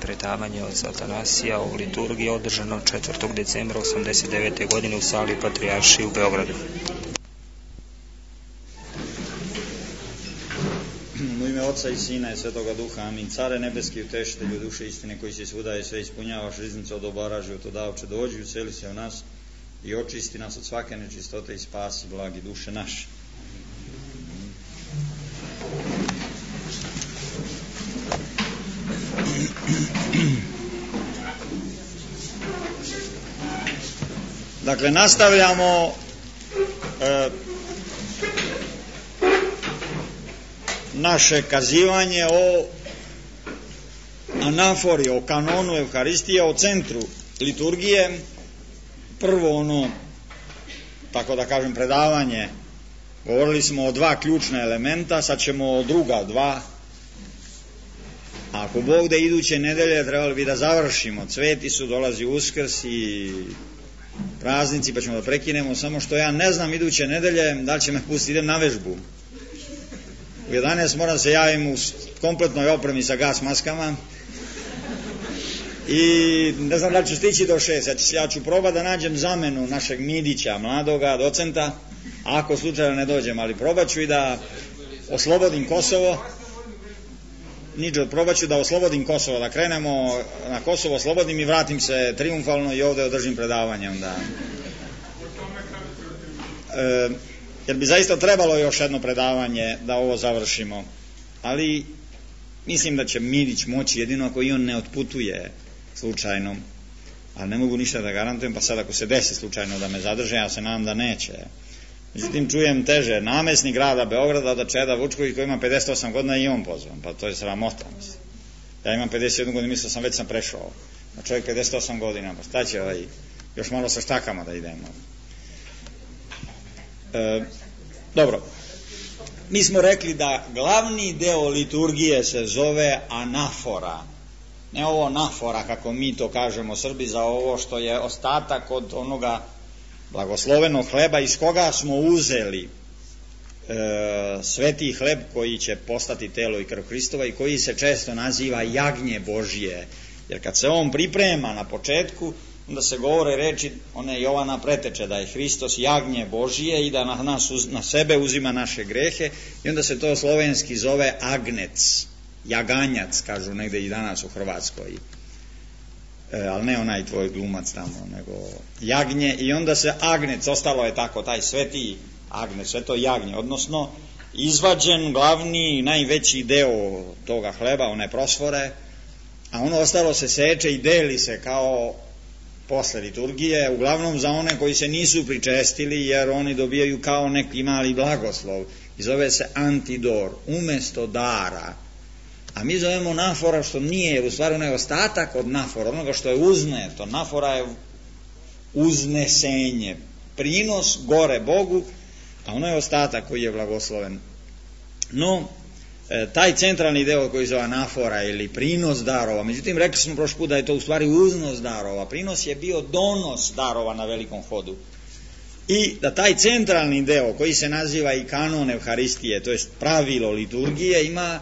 predavanje od Atanasija o liturgiji održano 4. decembra 1989. godine u sali Patrijaršije u Beogradu. U ime Oca i Sina i Svetoga Duha, amin. Care nebeski, utešitelju duše istine, koji si svuda i sve ispunjavaš, riznicu od obara, životodavče, dođi, useli se u nas i očisti nas od svake nečistote i spasi blagi duše naše. Dakle, nastavljamo naše kazivanje o anafori, o kanonu Evharistije, o centru liturgije. Prvo ono, tako da kažem, predavanje, govorili smo o dva ključna elementa, sad ćemo o druga dva. Ako Bog da iduće nedelje trebali bi da završimo, cveti su, dolazi Uskrs i praznici, pa ćemo da prekinemo, samo što ja ne znam iduće nedelje da li će me pustiti, idem na vežbu. U 11 moram se javim u kompletnoj opremi sa gas maskama i ne znam da li ću stići do 6. Ja ću probati da nađem zamenu našeg Midića, mladoga docenta, ako slučajno ne dođem, ali probat ću i da oslobodim Kosovo. Niđe, probat ću da oslobodim Kosovo, da krenemo na Kosovo, oslobodim i vratim se triumfalno i ovdje održim predavanje onda. Jer bi zaista trebalo još jedno predavanje da ovo završimo, ali mislim da će Midić moći jedino ako i on ne otputuje slučajno, ali ne mogu ništa da garantujem, pa sad ako se desi slučajno da me zadrže, ja se nadam da neće. Međutim, čujem teže, namjesnik grada Beograda od Čeda Vučković koji ima 58 godina i on pozvan, pa to je sramota. Ja imam 51 godinu, mislio sam već sam prešao, a čovjek 58 godina, pa šta će još malo sa štakama da idemo. Dobro, mi smo rekli da glavni deo liturgije se zove anafora, ne ovo anafora kako mi to kažemo Srbi, za ovo što je ostatak od onoga blagoslovenog hleba iz koga smo uzeli sveti hleb koji će postati telo i krv Hristova i koji se često naziva jagnje Božije, jer kad se on priprema na početku, onda se govore reči one Jovana preteče da je Hristos jagnje Božije i da na sebe uzima naše grehe, i onda se to slovenski zove agnec, jaganjac, kažu negde i danas u Hrvatskoj, ali ne onaj tvoj glumac tamo, nego jagnje, i onda se agnec, ostalo je tako, taj sveti agnec, sve to jagnje, odnosno izvađen glavni, najveći deo toga hleba, one prosfore, a ono ostalo se seče i deli se kao posle liturgije, uglavnom za one koji se nisu pričestili, jer oni dobijaju kao neki mali blagoslov i zove se antidor, umesto dara. A mi zovemo nafora, što nije, jer u stvari ono je ostatak od nafora, onoga što je uzneto. Nafora je uznesenje, prinos gore Bogu, a ono je ostatak koji je blagosloven. No, taj centralni deo koji zove anafora ili prinos darova, međutim rekli smo prošli put da je to u stvari uznos darova, prinos je bio donos darova na velikom hodu, i da taj centralni deo koji se naziva i kanon Evharistije, to jest pravilo liturgije, ima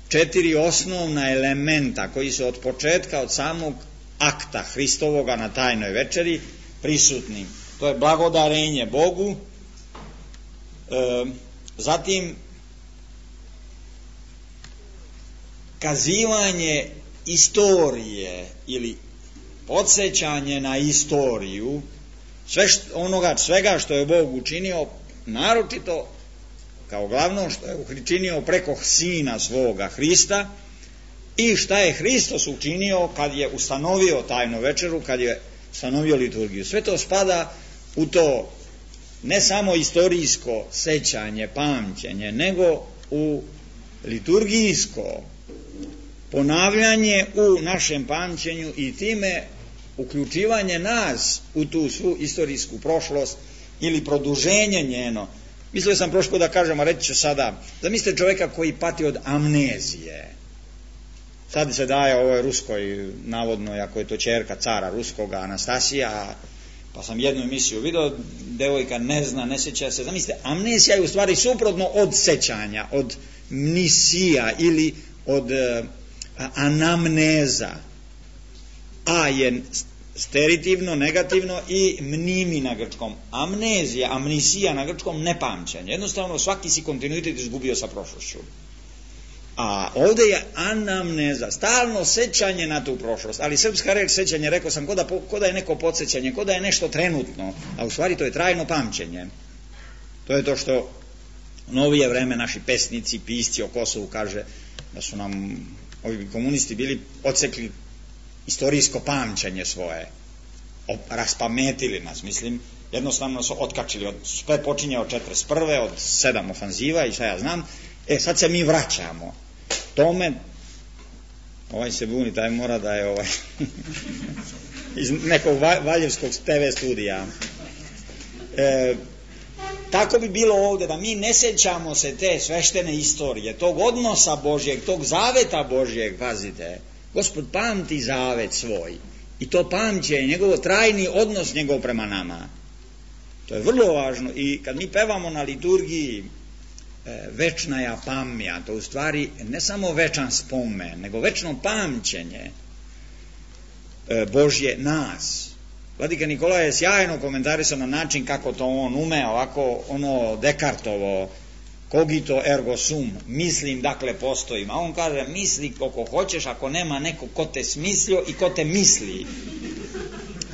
4 osnovna elementa koji su od početka, od samog akta Hristovoga na tajnoj večeri prisutni. To je blagodarenje Bogu, zatim kazivanje istorije ili podsjećanje na istoriju svega što je Bog učinio, naročito kao glavno što je učinio preko Sina svoga Hrista, i šta je Hristos učinio kad je ustanovio tajnu večeru, kad je ustanovio liturgiju. Sve to spada u to ne samo istorijsko sećanje, pamćenje, nego u liturgijsko ponavljanje u našem pamćenju i time uključivanje nas u tu svu istorijsku prošlost ili produženje njeno. Mislio sam prošlo da kažem, a reći ću sada, zamislite čovjeka koji pati od amnezije. Sad se daje ovoj ruskoj, navodno, ako je to ćerka cara ruskoga, Anastasija, pa sam jednu emisiju vidio, devojka ne zna, ne sjeća se. Zamislite, amnezija je u stvari suprotno od sećanja, od mnisija ili od anamneza. A je steritivno, negativno i mnimi na grčkom. Amnezija, amnisija na grčkom, nepamćenje. Jednostavno svaki si kontinuitet izgubio sa prošlošću. A ovdje je anamneza, stalno sećanje na tu prošlost. Ali srpska reč sećanje, rekao sam, ko da je neko podsjećanje, ko da je nešto trenutno, a u stvari to je trajno pamćenje. To je to što u novije vreme naši pesnici, pisci o Kosovu kaže da su nam ovi komunisti bili odsekli istorijsko pamćenje svoje, raspametili nas, mislim, jednostavno su otkačili, sve počinje od 41. od 7 ofanziva i šta ja znam, sad se mi vraćamo tome. Ovaj se buni, taj mora da je iz nekog valjevskog TV studija. Tako bi bilo ovdje, da mi ne sećamo se te sveštene istorije, tog odnosa Božjeg, tog zaveta Božjeg, pazite, Gospod pamti zavet svoj i to pamće, njegovo trajni odnos njegov prema nama. To je vrlo važno i kad mi pevamo na liturgiji večna ja pamja, to u stvari ne samo večan spomen, nego večno pamćenje Božje nas. Vladika Nikolaj je sjajno komentarisao na način kako to on ume, ovako Dekartovo cogito ergo sum, mislim dakle postojim, a on kaže misli koliko hoćeš ako nema neko ko te smislio i ko te misli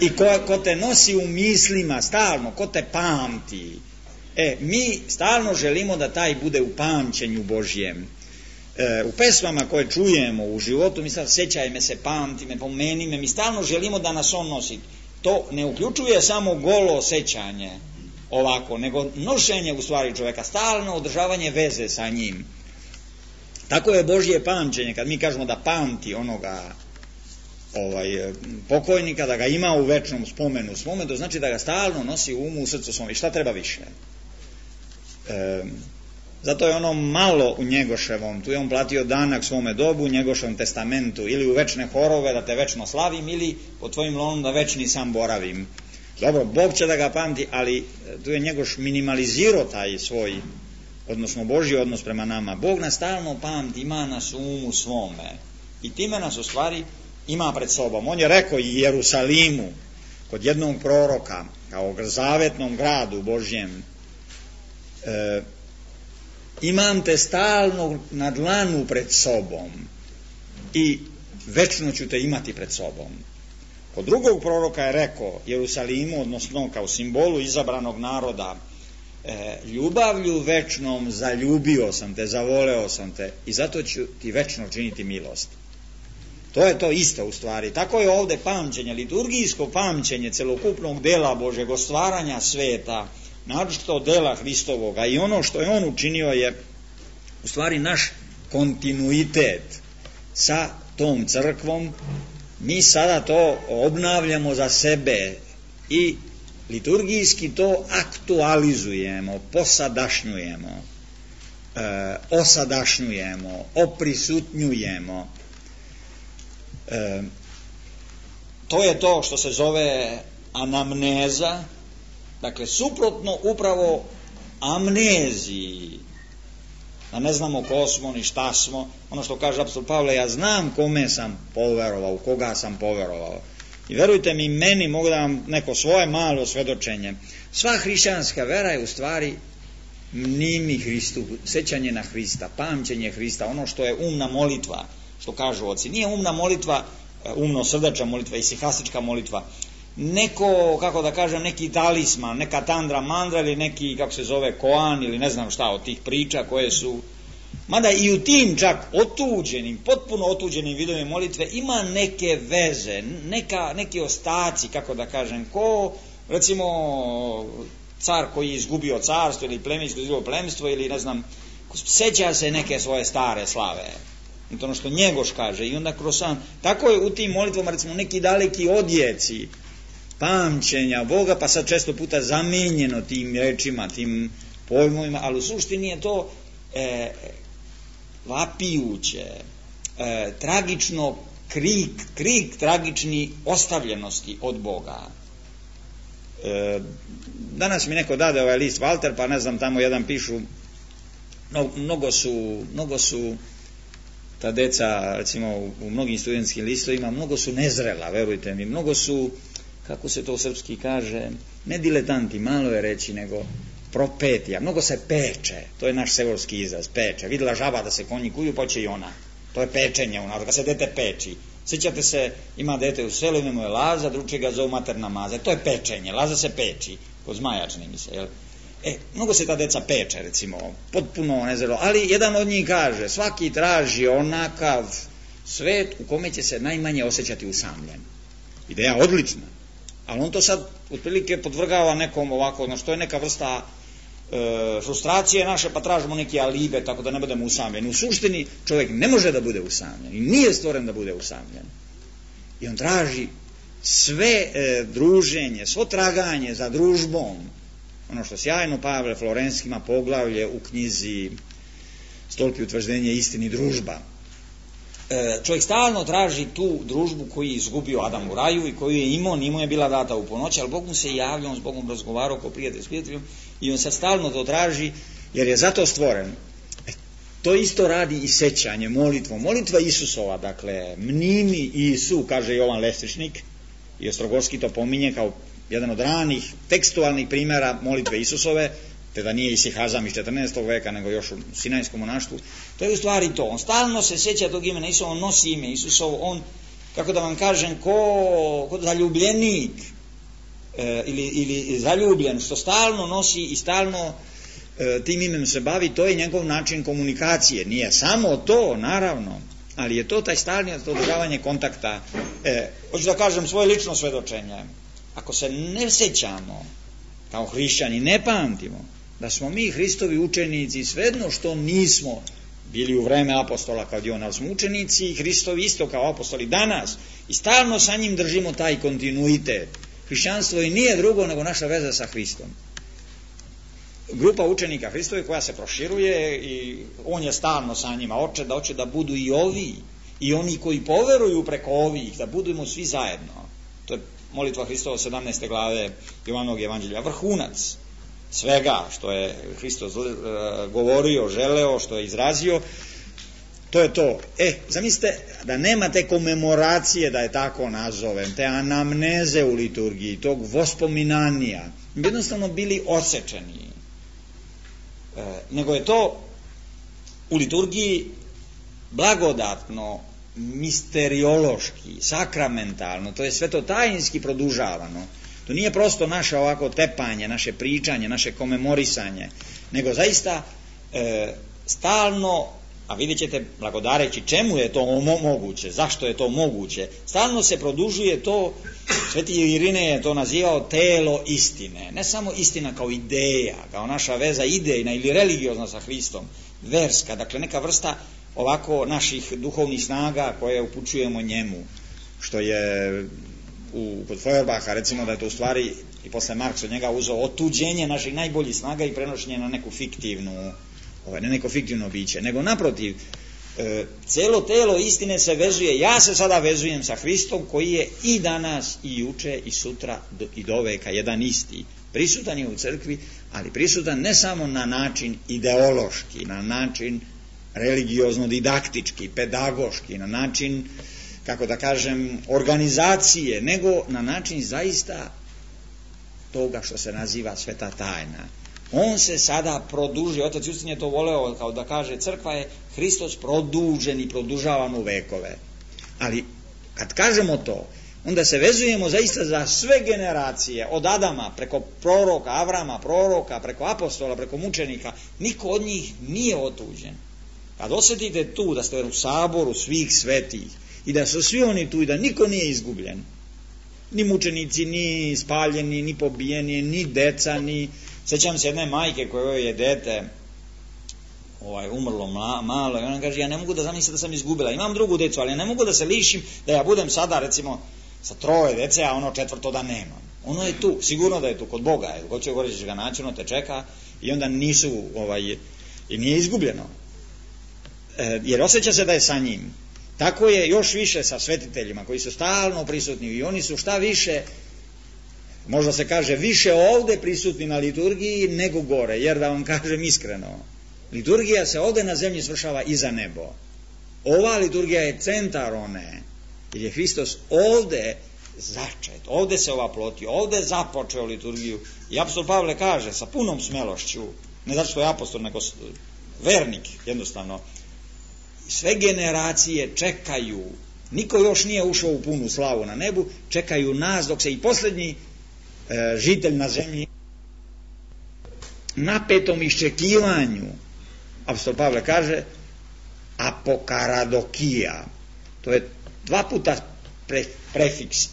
i ko te nosi u mislima stalno, ko te pamti. Mi stalno želimo da taj bude u pamćenju Božjem. U pesmama koje čujemo u životu, mi sad sećaj me se, pamti me, pomeni me, mi stalno želimo da nas on nosi. To ne uključuje samo golo sećanje ovako, nego nošenje u stvari čovjeka, stalno održavanje veze sa njim. Tako je Božje pamćenje, kad mi kažemo da pamti onoga pokojnika, da ga ima u večnom spomenu svome, to znači da ga stalno nosi u umu, u srcu svome. I šta treba više? Zato je ono malo u Njegoševom, tu je on platio danak svome dobu, u Njegoševom testamentu, ili u večne horove da te večno slavim, ili pod tvojim lonom da večni sam boravim. Dobro, Bog će da ga pamti, ali tu je Njegoš minimalizirao taj svoj, odnosno Božji odnos prema nama. Bog nas stalno pamti, ima nas u umu svome i time nas u stvari ima pred sobom. On je rekao i Jerusalimu, kod jednog proroka, kao zavetnom gradu Božjem, imam te stalno na dlanu pred sobom i večno ću te imati pred sobom. Kod drugog proroka je rekao Jerusalimu, odnosno kao simbolu izabranog naroda, ljubavlju večnom zaljubio sam te, zavoleo sam te i zato ću ti večno činiti milost. To je to isto u stvari. Tako je ovdje pamćenje, liturgijsko pamćenje celokupnog dela Božeg, stvaranja sveta, naročito dela Hristovoga, i ono što je on učinio je u stvari naš kontinuitet sa tom crkvom. Mi sada to obnavljamo za sebe i liturgijski to aktualizujemo, posadašnjujemo, osadašnjujemo, oprisutnjujemo. To je to što se zove anamneza, dakle suprotno upravo amneziji, da ne znamo ko smo ni šta smo. Ono što kaže apostol Pavle, ja znam kome sam poverovao, u koga sam poverovao. I verujte mi, meni mogu da vam neko svoje malo svedočenje. Sva hrišćanska vera je u stvari mnimi Hristu, sećanje na Hrista, pamćenje Hrista, ono što je umna molitva, što kažu oci. Nije umna molitva, umno-srdačna molitva i sihastička molitva. Neko, kako da kažem, neki talisman, neka tandra mandra ili neki, kako se zove, koan ili ne znam šta od tih priča koje su, mada i u tim čak otuđenim, potpuno otuđenim vidovima molitve ima neke veze, neki ostaci, kako da kažem, ko recimo car koji je izgubio carstvo ili plemensko izgubio plemstvo ili ne znam, seća se neke svoje stare slave. I to ono što Njegoš kaže i onda kroz sam, tako je u tim molitvama recimo neki daleki odjeci pamćenja Boga, pa sad često puta zamijenjeno tim rečima, tim pojmovima, ali u suštini je to vapijuće, tragično krik tragični ostavljenosti od Boga. Danas mi neko dade ovaj list Walter, pa ne znam, tamo jedan pišu, mnogo su ta deca, recimo u mnogim studentskim listovima, mnogo su nezrela, verujte mi, mnogo su, kako se to u srpski kaže, ne diletanti, malo je reći, nego propetija, mnogo se peče, to je naš sevorski izraz, peče. Vidjela žaba da se konji kuju, pa će i ona. To je pečenje u narodu, kad se dete peči. Sjećate se, ima dete u selu, ime mu je Laza, drugi ga zovu materna Maza. To je pečenje, Laza se peči, kod zmaja čini mi se, jel? Mnogo se ta deca peče, recimo, potpuno nezrelo, ali jedan od njih kaže, svaki traži onakav svet u kome će se najmanje osjećati usamljen. Ideja odlična, ali on to sad otprilike podvrgava nekom ovako, što je neka vrsta frustracije naše, pa tražimo neke alibe, tako da ne budemo usamljeni. U suštini čovjek ne može da bude usamljen i nije stvoren da bude usamljen. I on traži sve druženje, svo traganje za družbom, ono što sjajno Pavle Florenski ima poglavlje u knjizi Stolpi utvrđenje istini družba. Čovjek stalno traži tu družbu koju je izgubio Adam u raju i koju je imao, nije mu je bila data u ponoći, ali Bog mu se javlja, on s Bogom razgovarao kao prijatelj s prijateljom i on sad stalno to traži jer je zato stvoren. To isto radi i sećanje, molitvom. Molitva Isusova, dakle, mnimi Isu, kaže Jovan Lestičnik, i Ostrogorski to pominje kao jedan od ranih tekstualnih primjera molitve Isusove, te da nije Isihazam iz 14. veka, nego još u Sinajskom monaštvu. To je u stvari to. On stalno se sjeća tog imena Isusova, on nosi ime Isusovo, on, kako da vam kažem, ko zaljubljenik ili zaljubljen, što stalno nosi i stalno tim imenom se bavi, to je njegov način komunikacije. Nije samo to, naravno, ali je to taj stalni održavanje kontakta. Hoću da kažem svoje lično svedočenje. Ako se ne sjećamo kao hrišćani, ne pamtimo da smo mi Hristovi učenici, svejedno što nismo bili u vreme apostola kao dio, ali smo učenici Hristovi isto kao apostoli danas i stalno sa njim držimo taj kontinuitet. Hrišćanstvo i nije drugo nego naša veza sa Hristom. Grupa učenika Hristove koja se proširuje i on je stalno sa njima, hoće da budu i ovi i oni koji poveruju preko ovih, da budemo svi zajedno. To je molitva Hristova 17. glave Jovanovog evanđelja, vrhunac svega što je Hristos govorio, želeo, što je izrazio. To je to. Zamislite da nema te komemoracije, da je tako nazovem, te anamneze u liturgiji, tog vospominanja, jednostavno bili osečeni. Nego je to u liturgiji blagodatno, misteriološki, sakramentalno, to je svetotajinski produžavano. To nije prosto naše ovako tepanje, naše pričanje, naše komemorisanje, nego zaista stalno, a vidjet ćete blagodareći čemu je to moguće, zašto je to moguće, stalno se produžuje to, Sveti Irine je to nazivao telo istine, ne samo istina kao ideja, kao naša veza idejna ili religiozna sa Hristom, verska, dakle neka vrsta ovako naših duhovnih snaga koje upućujemo njemu, što je kod Feuerbacha recimo da je to u stvari i posle Marks od njega uzeo otuđenje naših najboljih snaga i prenošenje na neku fiktivnu, ne neko fiktivno biće, nego naprotiv, celo telo istine se vezuje, ja se sada vezujem sa Hristom koji je i danas i juče i sutra i do veka jedan isti. Prisutan je u crkvi, ali prisutan ne samo na način ideološki, na način religiozno-didaktički, pedagoški, na način, kako da kažem, organizacije, nego na način zaista toga što se naziva sveta tajna. On se sada produžuje, otac Justin je to voleo, kao da kaže, crkva je Hristos produžen i produžavan u vekove. Ali kad kažemo to, onda se vezujemo zaista za sve generacije, od Adama, preko proroka, Avrama, proroka, preko apostola, preko mučenika, niko od njih nije otuđen. Kad osjetite tu da ste u saboru svih svetih i da su svi oni tu i da niko nije izgubljen, ni mučenici, ni spaljeni, ni pobijeni, ni deca, ni... Sjećam se jedne majke kojoj je dete umrlo malo i ona kaže, ja ne mogu da zamislim da sam izgubila, imam drugu decu, ali ja ne mogu da se lišim da ja budem sada recimo sa 3 dece, a ono 4 da nemam. Ono je tu, sigurno da je tu kod Boga, ko će govoriti će ga naći, ono te čeka i onda nisu, i nije izgubljeno. Jer osjeća se da je sa njim. Tako je još više sa svetiteljima koji su stalno prisutni i oni su šta više, možda se kaže više ovde prisutni na liturgiji nego gore, jer da vam kažem iskreno, liturgija se ovde na zemlji svršava i za nebo. ova liturgija je centar one, jer je Hristos ovde začet, ovde se ovaplotio, ovde započeo liturgiju. I apostol Pavle kaže sa punom smelošću, ne zato što je apostol, nego vernik, jednostavno, sve generacije čekaju, niko još nije ušao u punu slavu na nebu, čekaju nas dok se i posljednji žitelj na zemlji napetom iščekivanju, apostol Pavle kaže, apokaradokija, to je 2 puta prefiks,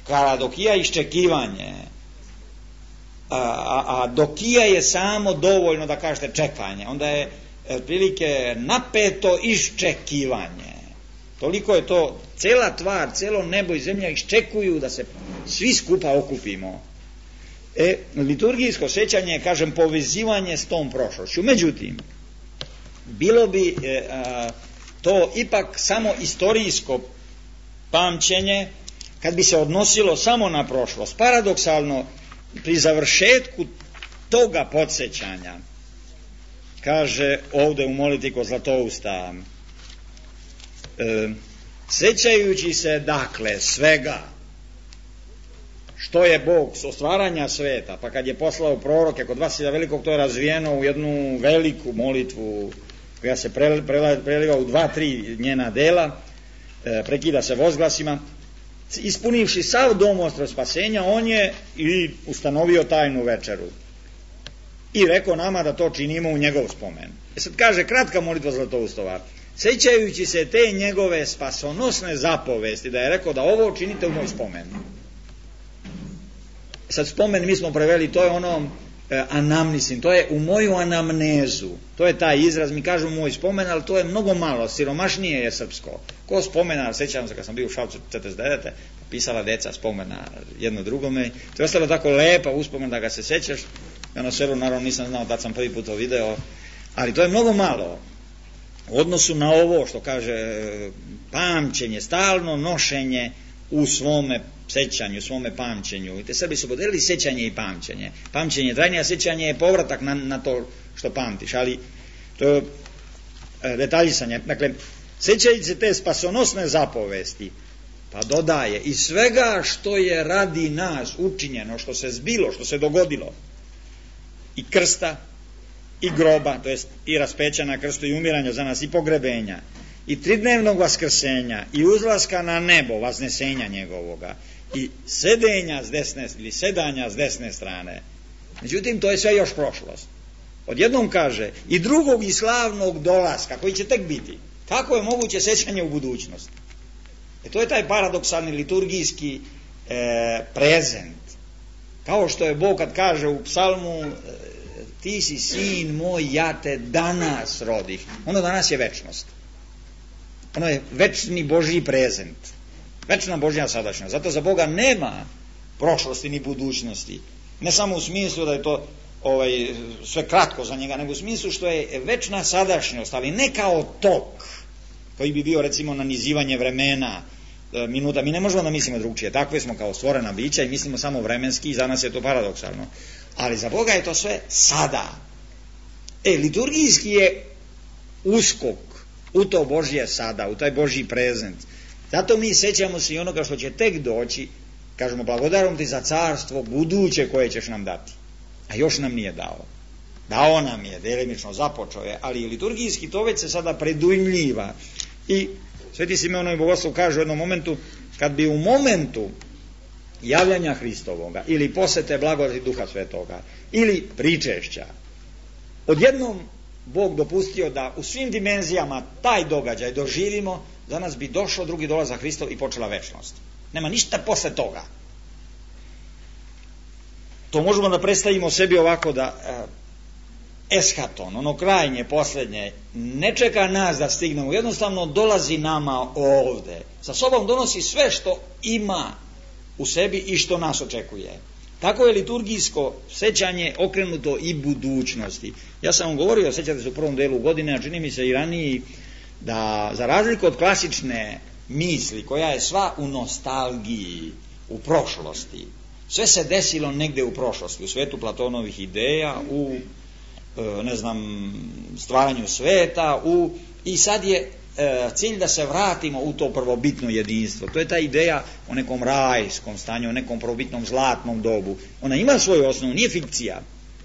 karadokija iščekivanje, a dokija je samo dovoljno da kažete čekanje, onda je otprilike napeto iščekivanje. Toliko je to, cela tvar, celo nebo i zemlja iščekuju da se svi skupa okupimo. Liturgijsko sećanje je, kažem, povezivanje s tom prošlošću. Međutim, bilo bi to ipak samo istorijsko pamćenje kad bi se odnosilo samo na prošlost. Paradoksalno, pri završetku toga podsjećanja, kaže ovde u molitvi kod Zlatousta, sećajući se dakle svega što je Bog s stvaranja sveta, pa kad je poslao proroke kod Vasilija Velikog, to je razvijeno u jednu veliku molitvu koja se preliva u 2-3 njena dela, prekida se vozglasima. Ispunivši sav domostroj spasenja, on je i ustanovio tajnu večeru i rekao nama da to činimo u njegov spomen. Sad kaže kratka molitva Zlatoustova, sećajući se te njegove spasonosne zapovesti, da je rekao da ovo činite u moj spomen. Sad spomen mi smo preveli, to je ono anamnisim, to je u moju anamnezu, to je taj izraz, mi kažemo moj spomen, ali to je mnogo malo, siromašnije je srpsko. Ko spomena, sećam se kad sam bio u Šapcu 49. pisala deca spomena jedno drugome, to je ostalo tako lepa uspomen da ga se sećaš, ja na selu naravno nisam znao da sam prvi put to video, ali to je mnogo malo u odnosu na ovo što kaže pamćenje, stalno nošenje u svome sećanju, u svome pamćenju. I te Srbi su podelili sećanje i pamćenje. Pamćenje je trajnije, a sećanje je povratak na to što pamtiš, ali to je detaljisanje. Dakle, sećajući se te spasonosne zapovesti, pa dodaje i svega što je radi nas učinjeno, što se zbilo, što se dogodilo, i krsta, i groba, to jest i raspeća na krstu, i umiranja za nas, i pogrebenja, i tridnevnog vaskrsenja, i uzlaska na nebo, vaznesenja njegovoga, i sedenja s desne, ili sedanja s desne strane. Međutim, to je sve još prošlost. Odjednom kaže, i drugog i slavnog dolaska, koji će tek biti. Kako je moguće sećanje u budućnosti? To je taj paradoksalni liturgijski prezent. Kao što je Bog kad kaže u psalmu, ti si sin moj, ja te danas rodih. Ono danas je večnost. Ono je večni Božji prezent. Večna Božja sadašnjost. Zato za Boga nema prošlosti ni budućnosti. Ne samo u smislu da je to sve kratko za njega, nego u smislu što je večna sadašnjost, ali ne kao tok koji bi bio recimo nanizivanje vremena, minuta. Mi ne možemo da mislimo drugčije. Takve smo kao stvorena bića i mislimo samo vremenski i za nas je to paradoksalno. Ali za Boga je to sve sada. Liturgijski je uskok u to Božje sada, u taj Božji prezent. Zato mi sećamo se i onoga što će tek doći, kažemo blagodarom ti za carstvo buduće koje ćeš nam dati. A još nam nije dao. Dao nam je, delimično započeo je, ali liturgijski to već se sada predujmljiva. I Sveti Simeon i Bogoslov kaže u jednom momentu, kad bi u momentu javljanja Hristovoga ili posete blagodati Duha Svetoga ili pričešća odjednom Bog dopustio da u svim dimenzijama taj događaj doživimo, za nas bi došao drugi dolazak Hristov i počela večnost. Nema ništa posle toga. To možemo da predstavimo sebi ovako da eschaton, ono krajnje, posljednje, ne čeka nas da stignemo, jednostavno dolazi nama ovde. Sa sobom donosi sve što ima u sebi i što nas očekuje. Tako je liturgijsko sećanje okrenuto i budućnosti. Ja sam vam govorio, sećate se u prvom delu godine, a čini mi se i raniji, da za razliku od klasične misli, koja je sva u nostalgiji, u prošlosti, sve se desilo negde u prošlosti, u svetu Platonovih ideja, u stvaranju sveta, i sad je cilj da se vratimo u to prvobitno jedinstvo. To je ta ideja o nekom rajskom stanju, o nekom prvobitnom zlatnom dobu. Ona ima svoju osnovu, nije fikcija.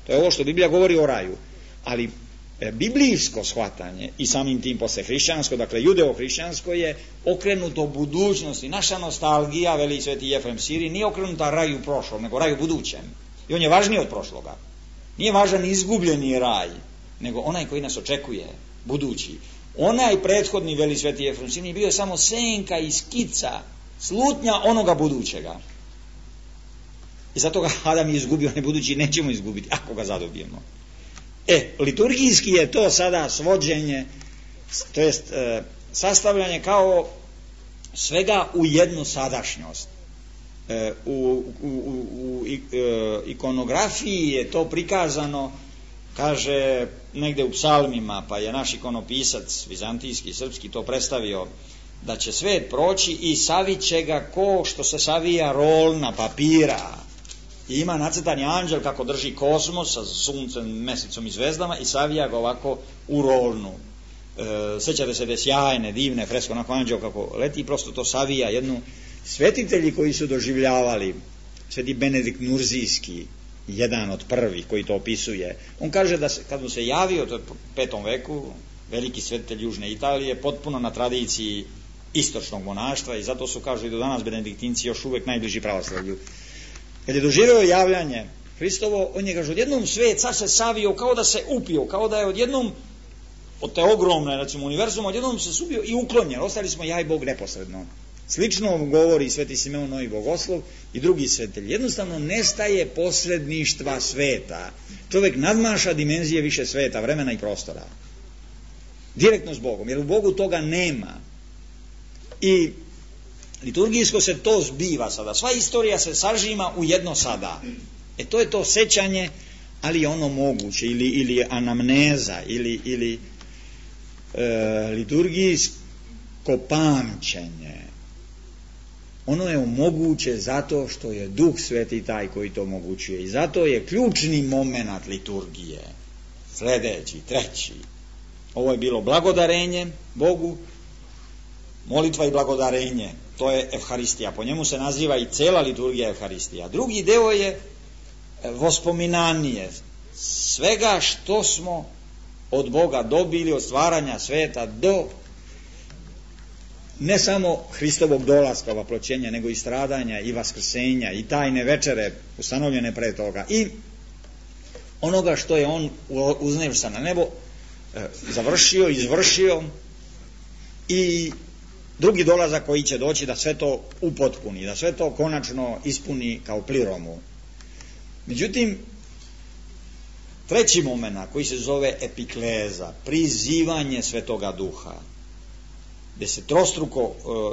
To je ovo što Biblija govori o raju. Ali biblijsko shvatanje i samim tim posle hrišćansko, dakle judeo-hrišćansko, je okrenuto budućnosti. Naša nostalgija, veli sveti Jefrem Siri, nije okrenuta raju prošlom, nego raju budućem. I on je važniji od prošloga. Nije važan izgubljeni raj, nego onaj koji nas očekuje, budući. Onaj prethodni, veli sveti Jefrem Siri, bio je samo senka i skica, slutnja onoga budućega. I zato ga Adam je izgubio, ne budući nećemo izgubiti, ako ga zadobijemo. Liturgijski je to sada svođenje, to jest sastavljanje kao svega u jednu sadašnjost. U ikonografiji je to prikazano, kaže negde u psalmima, pa je naš ikonopisac vizantijski, srpski to predstavio, da će svet proći i savit će ga ko što se savija rolna papira. I ima nacrtani anđel kako drži kosmos sa suncem, mesecom i zvezdama i savija ga ovako u rolnu. Sećate se da je sjajne, divne fresko, onako anđel kako leti, prosto to savija jednu. Svetitelji koji su doživljavali, sveti Benedikt Nurzijski, jedan od prvih koji to opisuje, on kaže da kad mu se javio, to je u 5. veku, veliki svetitelj Južne Italije, potpuno na tradiciji istočnog monaštva, i zato su, kažu i do danas, benediktinci još uvek najbliži pravoslavlju. Kad je doživio javljanje Hristovo, on je, kaže, odjednom svet sad se savio, kao da se upio, kao da je odjednom od te ogromne, recimo, univerzuma, odjednom se subio i uklonjen. Ostali smo ja i Bog neposredno. Slično govori sveti Simeon Novi Bogoslov i drugi svetitelji. Jednostavno nestaje posredništva sveta. Čovjek nadmaša dimenzije više sveta, vremena i prostora. Direktno s Bogom, jer u Bogu toga nema. I liturgijsko se to zbiva sada. Sva istorija se sažima u jedno sada. To je to sećanje, ali je ono moguće, ili anamneza, ili liturgijsko pamćenje. Ono je moguće zato što je Duh Sveti taj koji to omogućuje. I zato je ključni moment liturgije. Sledeći, treći. Ovo je bilo blagodarenje Bogu, molitva i blagodarenje. To je Evharistija. Po njemu se naziva i cela liturgija Evharistija. Drugi deo je vospominanje svega što smo od Boga dobili, od stvaranja sveta do ne samo Hristovog dolaska, vaploćenja, nego i stradanja i vaskrsenja i tajne večere ustanovljene pre toga i onoga što je on uznešen na nebo završio, izvršio, i drugi dolazak koji će doći da sve to upotpuni, da sve to konačno ispuni kao pliromu. Međutim, treći moment koji se zove epikleza, prizivanje Svetoga Duha, gde se trostruko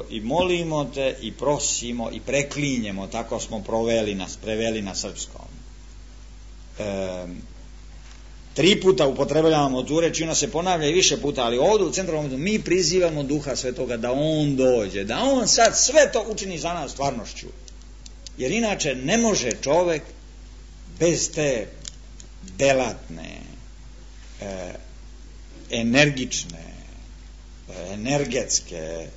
i molimo te i prosimo i preklinjemo, tako smo preveli na srpskom. 3 puta upotrebljavamo tu reč i ona se ponavlja i više puta, ali ovdje u centralnom momentu mi prizivamo Duha Svetoga da on dođe, da on sad sve to učini za nas stvarnošću. Jer inače ne može čovek bez te delatne, energične, energetske,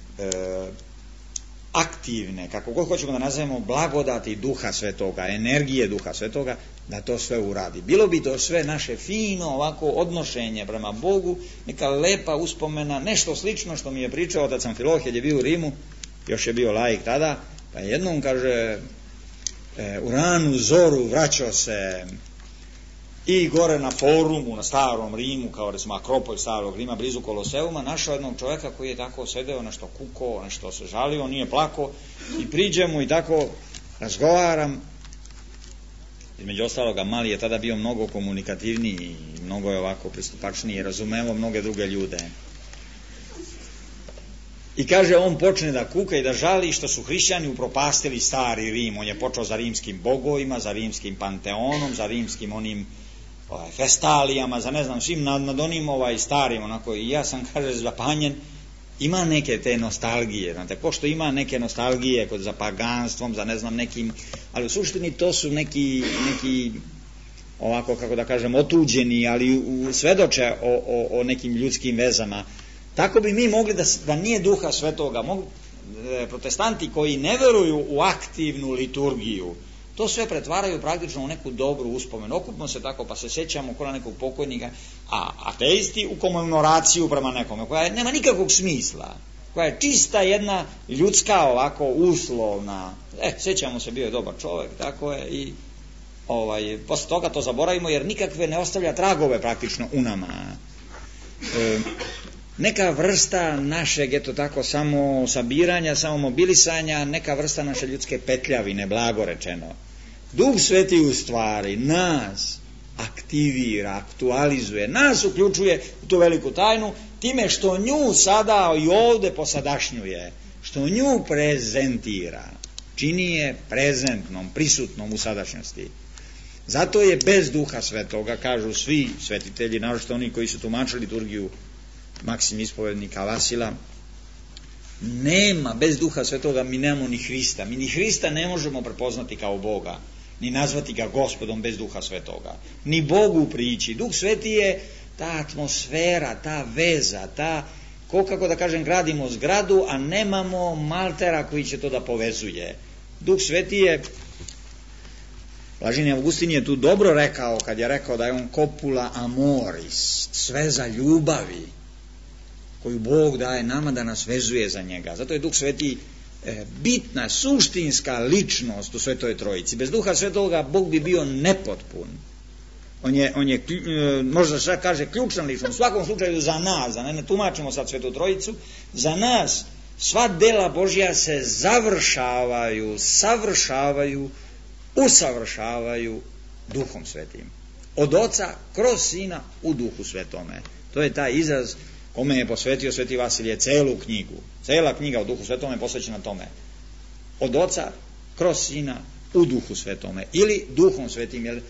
aktivne, kako god hoćemo da nazovemo, blagodati Duha Svetoga, energije Duha Svetoga, da to sve uradi. Bilo bi to sve naše fino ovako odnošenje prema Bogu, neka lepa uspomena, nešto slično što mi je pričao otac Amfilohije, je bio u Rimu, još je bio laik tada, pa jednom, kaže, u ranu zoru vraćao se i gore na forumu, na starom Rimu, kao recimo Akropolj starog Rima, blizu Koloseuma, našao jednog čovjeka koji je tako sedeo, nešto kukao, nešto se žalio, nije plako, i priđem mu i tako razgovaram. Između ostaloga, mali je tada bio mnogo komunikativniji i mnogo je ovako pristupačniji i razumelo mnoge druge ljude. I kaže, on počne da kuka i da žali što su hrišćani upropastili stari Rim. On je počeo za rimskim bogovima, za rimskim panteonom, za rimskim onim festalijama, za ne znam, svim nad onim starim, onako, i ja sam, kaže, zapanjen. Ima neke te nostalgije, znate, ko što ima neke nostalgije za paganstvom, za ne znam nekim, ali u suštini to su neki ovako, kako da kažem, otuđeni, ali svedoče o nekim ljudskim vezama. Tako bi mi mogli da nije Duha Svetoga, protestanti koji ne veruju u aktivnu liturgiju, to sve pretvaraju praktično u neku dobru uspomenu. Okupimo se tako pa se sjećamo kod nekog pokojnika, a ateisti u komemoraciju prema nekome, koja nema nikakvog smisla, koja je čista jedna ljudska ovako uslovna. Sjećamo se, bio je dobar čovjek, tako je, i posle toga to zaboravimo jer nikakve ne ostavlja tragove praktično u nama. Neka vrsta našeg, eto tako, samo sabiranja, samo mobilisanja, neka vrsta naše ljudske petljavine, blago rečeno. Duh Sveti u stvari nas aktivira, aktualizuje, nas uključuje u tu veliku tajnu, time što nju sada i ovde posadašnjuje, što nju prezentira, čini je prezentnom, prisutnom u sadašnjosti. Zato je bez Duha Svetoga, kažu svi svetitelji, naročito oni koji su tumačili liturgiju Maksim ispovednika Vasila, nema, bez Duha Svetoga mi nemamo ni Hrista. Mi ni Hrista ne možemo prepoznati kao Boga, ni nazvati ga Gospodom bez Duha Svetoga. Ni Bogu prići. Duh Sveti je ta atmosfera, ta veza, ta, kako da kažem, gradimo zgradu, a nemamo maltera koji će to da povezuje. Duh Sveti je, Blaženi Augustin je tu dobro rekao, kad je rekao da je on copula amoris, sveza ljubavi, koju Bog daje nama da nas vezuje za njega. Zato je Duh Sveti bitna, suštinska ličnost u Svetoj Trojici. Bez Duha Svetoga Bog bi bio nepotpun. On je možda se kaže ključna ličnost. U svakom slučaju za nas, da ne tumačimo sad Svetu Trojicu, za nas sva dela Božja se završavaju, savršavaju, usavršavaju Duhom Svetim. Od Oca kroz Sina u Duhu Svetome. To je taj izraz kome je posvetio Sveti Vasilije celu knjigu. Cela knjiga o Duhu Svetome je posvećena tome. Od Oca kroz Sina u Duhu Svetome. Ili Duhom Svetim. Jer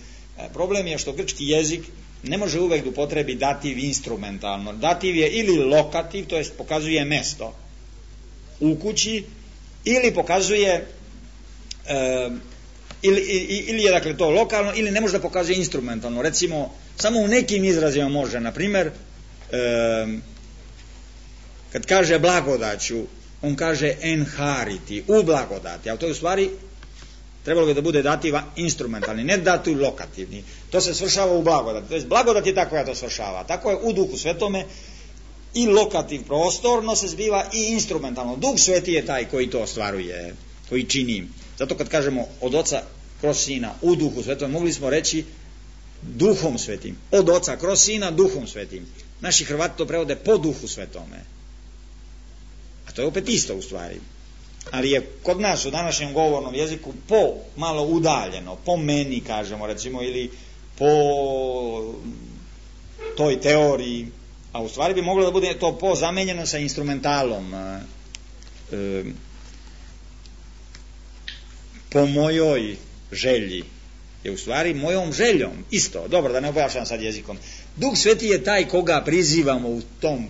problem je što grčki jezik ne može uvek da upotrebi dativ instrumentalno. Dativ je ili lokativ, to jest pokazuje mesto u kući, ili pokazuje ili je dakle to lokalno, ili ne može da pokazuje instrumentalno. Recimo, samo u nekim izrazima može, na primer, kad kaže blagodaću, on kaže enhariti, u blagodati, ali to je u stvari trebalo bi da bude dativ instrumentalni, ne dativ lokativni. To se svršava u blagodati. To je blagodat je tako ja to svršava. Tako je u Duhu Svetome i lokativ prostorno se zbiva i instrumentalno. Duh Sveti je taj koji to ostvaruje, koji čini. Zato kad kažemo od Oca kroz Sina u Duhu Svetome, mogli smo reći Duhom Svetim. Od Oca kroz Sina Duhom Svetim. Naši Hrvati to prevode po Duhu Svetome. A to je opet isto u stvari. Ali je kod nas u današnjem govornom jeziku po malo udaljeno, po meni kažemo recimo, ili po toj teoriji, a u stvari bi moglo da bude to po zamenjeno sa instrumentalom. Po mojoj želji je u stvari mojom željom isto. Dobro, da ne obajašam sad jezikom. Duh Sveti je taj koga prizivamo u tom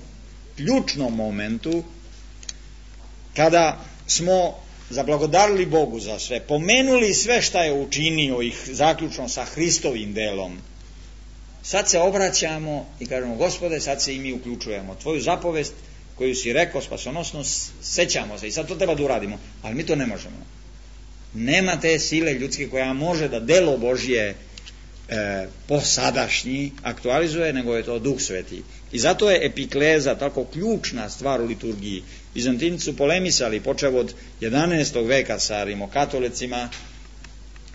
ključnom momentu kada smo zablagodarili Bogu za sve, pomenuli sve šta je učinio ih zaključno sa Hristovim delom. Sad se obraćamo i kažemo, Gospode, sad se i mi uključujemo. Tvoju zapovest koju si rekao spasonosno, sećamo se i sad to treba da uradimo, ali mi to ne možemo. Nema te sile ljudske koja može da delo Božje posadašnji aktualizuje, nego je to Duh Sveti. I zato je epikleza tako ključna stvar u liturgiji. Bizantinci su polemisali, počev od 11. veka sa rimokatolicima,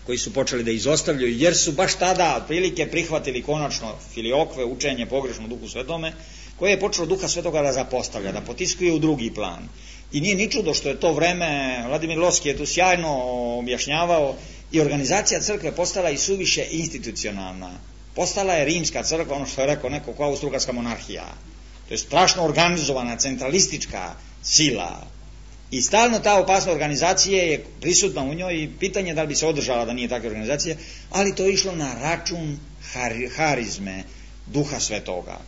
koji su počeli da izostavljaju, jer su baš tada otprilike prihvatili konačno filiokve, učenje pogrešno Duhu Svetome, koje je počelo Duha Svetoga da zapostavlja, da potiskuje u drugi plan. I nije ni čudo što je to vreme, Vladimir Lovski je tu sjajno objašnjavao, i organizacija crkve postala i suviše institucionalna. Postala je rimska crkva, ono što je rekao neko, kao austrougarska monarhija. To je strašno organizovana, centralistička sila. I stalno ta opasna organizacija je prisutna u njoj i pitanje da li bi se održala da nije takve organizacije, ali to je išlo na račun harizme Duha Svetoga.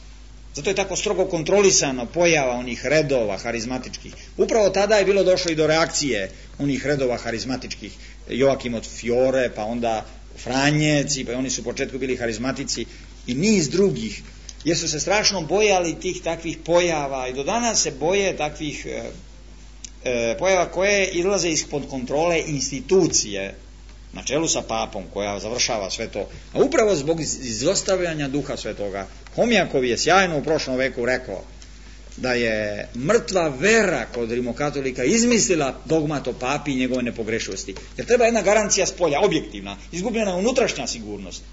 Zato je tako strogo kontrolisano pojava onih redova harizmatičkih. Upravo tada je bilo došlo i do reakcije onih redova harizmatičkih. Joakim od Fiore, pa onda Franjeci, pa oni su u početku bili harizmatici i niz drugih. jer su se strašno bojali tih takvih pojava i do danas se boje takvih pojava koje izlaze ispod kontrole institucije na čelu sa papom koja završava sve to, a upravo zbog izostavljanja Duha Svetoga. Homjakov je sjajno u prošlom veku rekao da je mrtva vera kod rimokatolika izmislila dogmat o papi i njegove nepogrešivosti. Jer treba jedna garancija spolja, objektivna, izgubljena je unutrašnja sigurnost,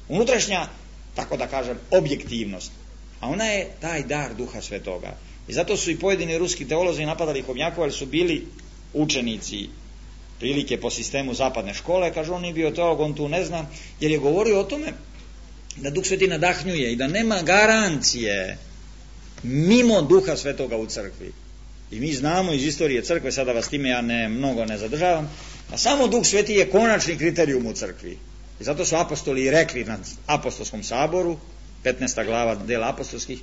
unutrašnja, tako da kažem, objektivnost, a ona je taj dar Duha Svetoga. I zato su i pojedini ruski teolozi napadali Homjakova, jer su bili učenici prilike po sistemu zapadne škole. Kaže, on nije bio teolog, on tu ne zna, jer je govorio o tome da Duh Sveti nadahnjuje i da nema garancije mimo Duha Svetoga u crkvi. I mi znamo iz istorije crkve, sada vas time ja mnogo ne zadržavam, a samo Duh Sveti je konačni kriterijum u crkvi. I zato su apostoli i rekli na apostolskom saboru, 15. glava dela apostolskih,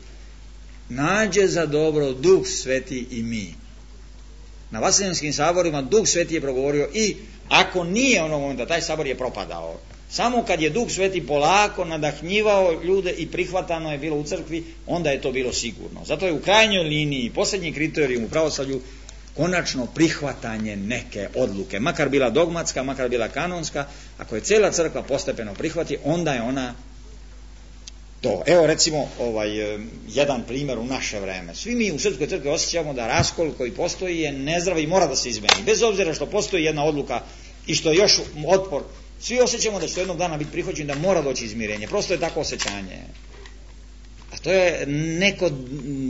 nađe za dobro Duh Sveti i mi. Na Vaseljanskim saborima Duh Sveti je progovorio i ako nije onog momenta, taj sabor je propadao. Samo kad je Duh Sveti polako nadahnjivao ljude i prihvatano je bilo u crkvi, onda je to bilo sigurno. Zato je u krajnjoj liniji posljednji kriterijum u pravoslavlju konačno prihvatanje neke odluke, makar bila dogmatska, makar bila kanonska. Ako je cijela crkva postepeno prihvati, onda je ona to. Evo recimo jedan primjer u naše vreme. Svi mi u Srpskoj crkvi osjećamo da raskol koji postoji je nezdrav i mora da se izmeni. Bez obzira što postoji jedna odluka i što je još otpor, svi osjećamo da će to jednog dana biti prihvaćen, da mora doći izmirenje. Prosto je tako osjećanje. A to je neko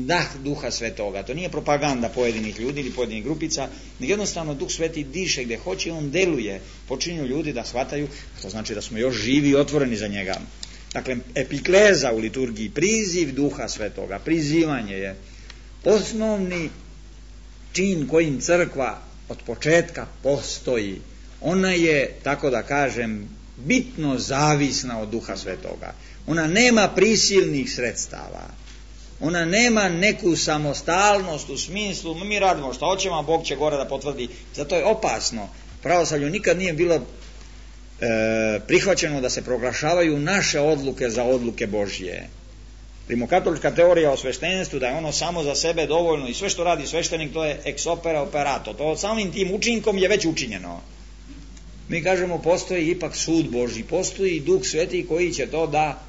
dah Duha Svetoga. To nije propaganda pojedinih ljudi ili pojedinih grupica, nego jednostavno Duh Sveti diše gdje hoće, on deluje. Počinju ljudi da shvataju, to znači da smo još živi i otvoreni za njega. Dakle, epikleza u liturgiji, priziv Duha Svetoga, prizivanje je osnovni čin kojim crkva od početka postoji. Ona je, tako da kažem, bitno zavisna od Duha Svetoga. Ona nema prisilnih sredstava. Ona nema neku samostalnost u smislu mi radimo što hoćemo, a Bog će gore da potvrdi. Zato je opasno. Pravoslavlju nikad nije bilo prihvaćeno da se proglašavaju naše odluke za odluke Božje. Rimokatolička teorija o sveštenstvu, da je ono samo za sebe dovoljno i sve što radi sveštenik to je ex opere operato. To samim tim učinkom je već učinjeno. Mi kažemo postoji ipak sud Božji, postoji Duh Sveti koji će to da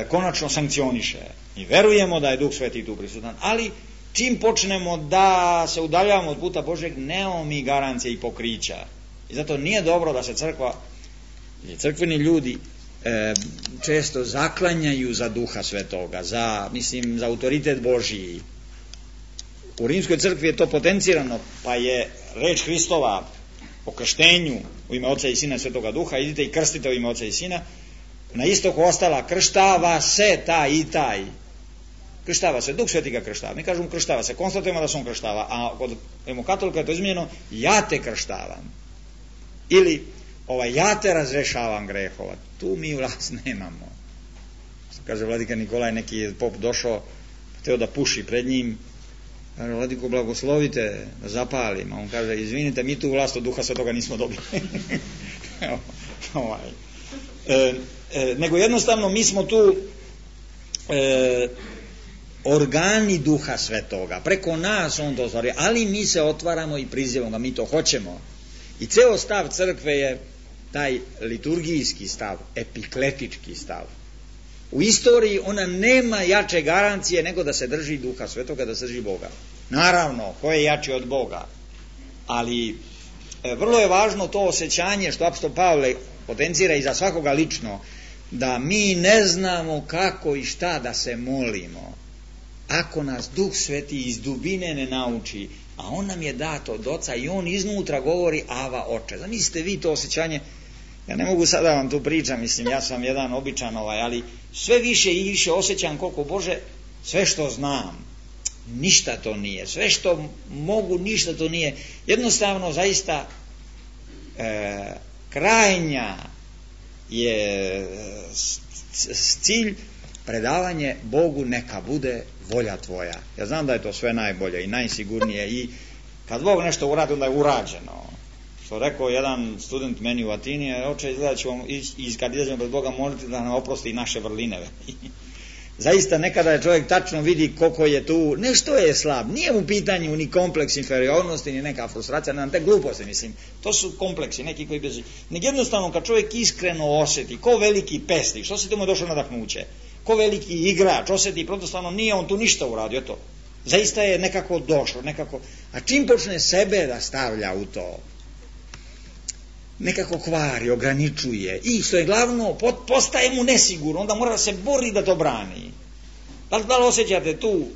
konačno sankcioniše. I verujemo da je Duh Sveti tu prisutan, ali čim počnemo da se udaljavamo od puta Božjeg, nemamo mi garancije i pokrića. I zato nije dobro da se crkva i crkveni ljudi često zaklanjaju za Duha Svetoga, za autoritet Božji. U Rimskoj crkvi je to potencirano, pa je reč Hristova o krštenju u ime Oca i Sina i Svetoga Duha, idite i krstite u ime Oca i Sina, na istoku ostala krštava se taj i taj. Krštava se, Duh Sveti ga krštava. Mi kažemo krštava se, konstatujemo da se on krštava, a kod rimokatolika je to izmijenjeno ja te krštavam. Ili ja te razrešavam grehova. Tu mi vlast nemamo. Kaže vladika Nikolaj, neki je pop došao, hteo da puši pred njim. Kaže, vladiko, blagoslovite da zapalim. A on kaže, izvinite, mi tu vlast od Duha Svetoga nismo dobili. Nego jednostavno mi smo tu organi Duha Svetoga. Preko nas on to ostvaruje, ali mi se otvaramo i prizivamo ga, mi to hoćemo. I ceo stav crkve je taj liturgijski stav, epikletički stav. U istoriji ona nema jače garancije nego da se drži Duha Svetoga, da se drži Boga. Naravno, ko je jači od Boga? Ali vrlo je važno to osjećanje što apostol Pavle potencira i za svakoga lično, da mi ne znamo kako i šta da se molimo. Ako nas Duh Sveti iz dubine ne nauči, a on nam je dat od Oca i on iznutra govori Ava Oče. Zamislite vi to osjećanje, ja ne mogu sada vam tu pričam, ja sam jedan običan ali sve više i više osjećam koliko Bože, sve što znam, ništa to nije, sve što mogu, ništa to nije. Jednostavno, zaista krajnja je cilj predavanje Bogu, neka bude volja tvoja. Ja znam da je to sve najbolje i najsigurnije i kad Bog nešto uradi, onda je urađeno. Što rekao jedan student meni u Atini, oče, izgleda ćemo kad izađemo pred Boga moliti da nam oprosti naše vrline. zaista nekada je čovjek tačno vidi koliko je tu, nešto je slab, nije u pitanju ni kompleks inferiornosti, ni neka frustracija, ne te gluposti, mislim, to su kompleksi, neki koji bez... Nek jednostavno kad čovjek iskreno osjeti, ko veliki pesnik, što se tomu je došlo nadahnuće, ko veliki igrač, osjeti, protostavno nije on tu ništa uradio, to, zaista je nekako došlo, nekako, a čim počne sebe da stavlja u to, nekako kvari, ograničuje i što je glavno, postaje mu nesigurno, onda mora da se bori da to brani. Da li osjećate tu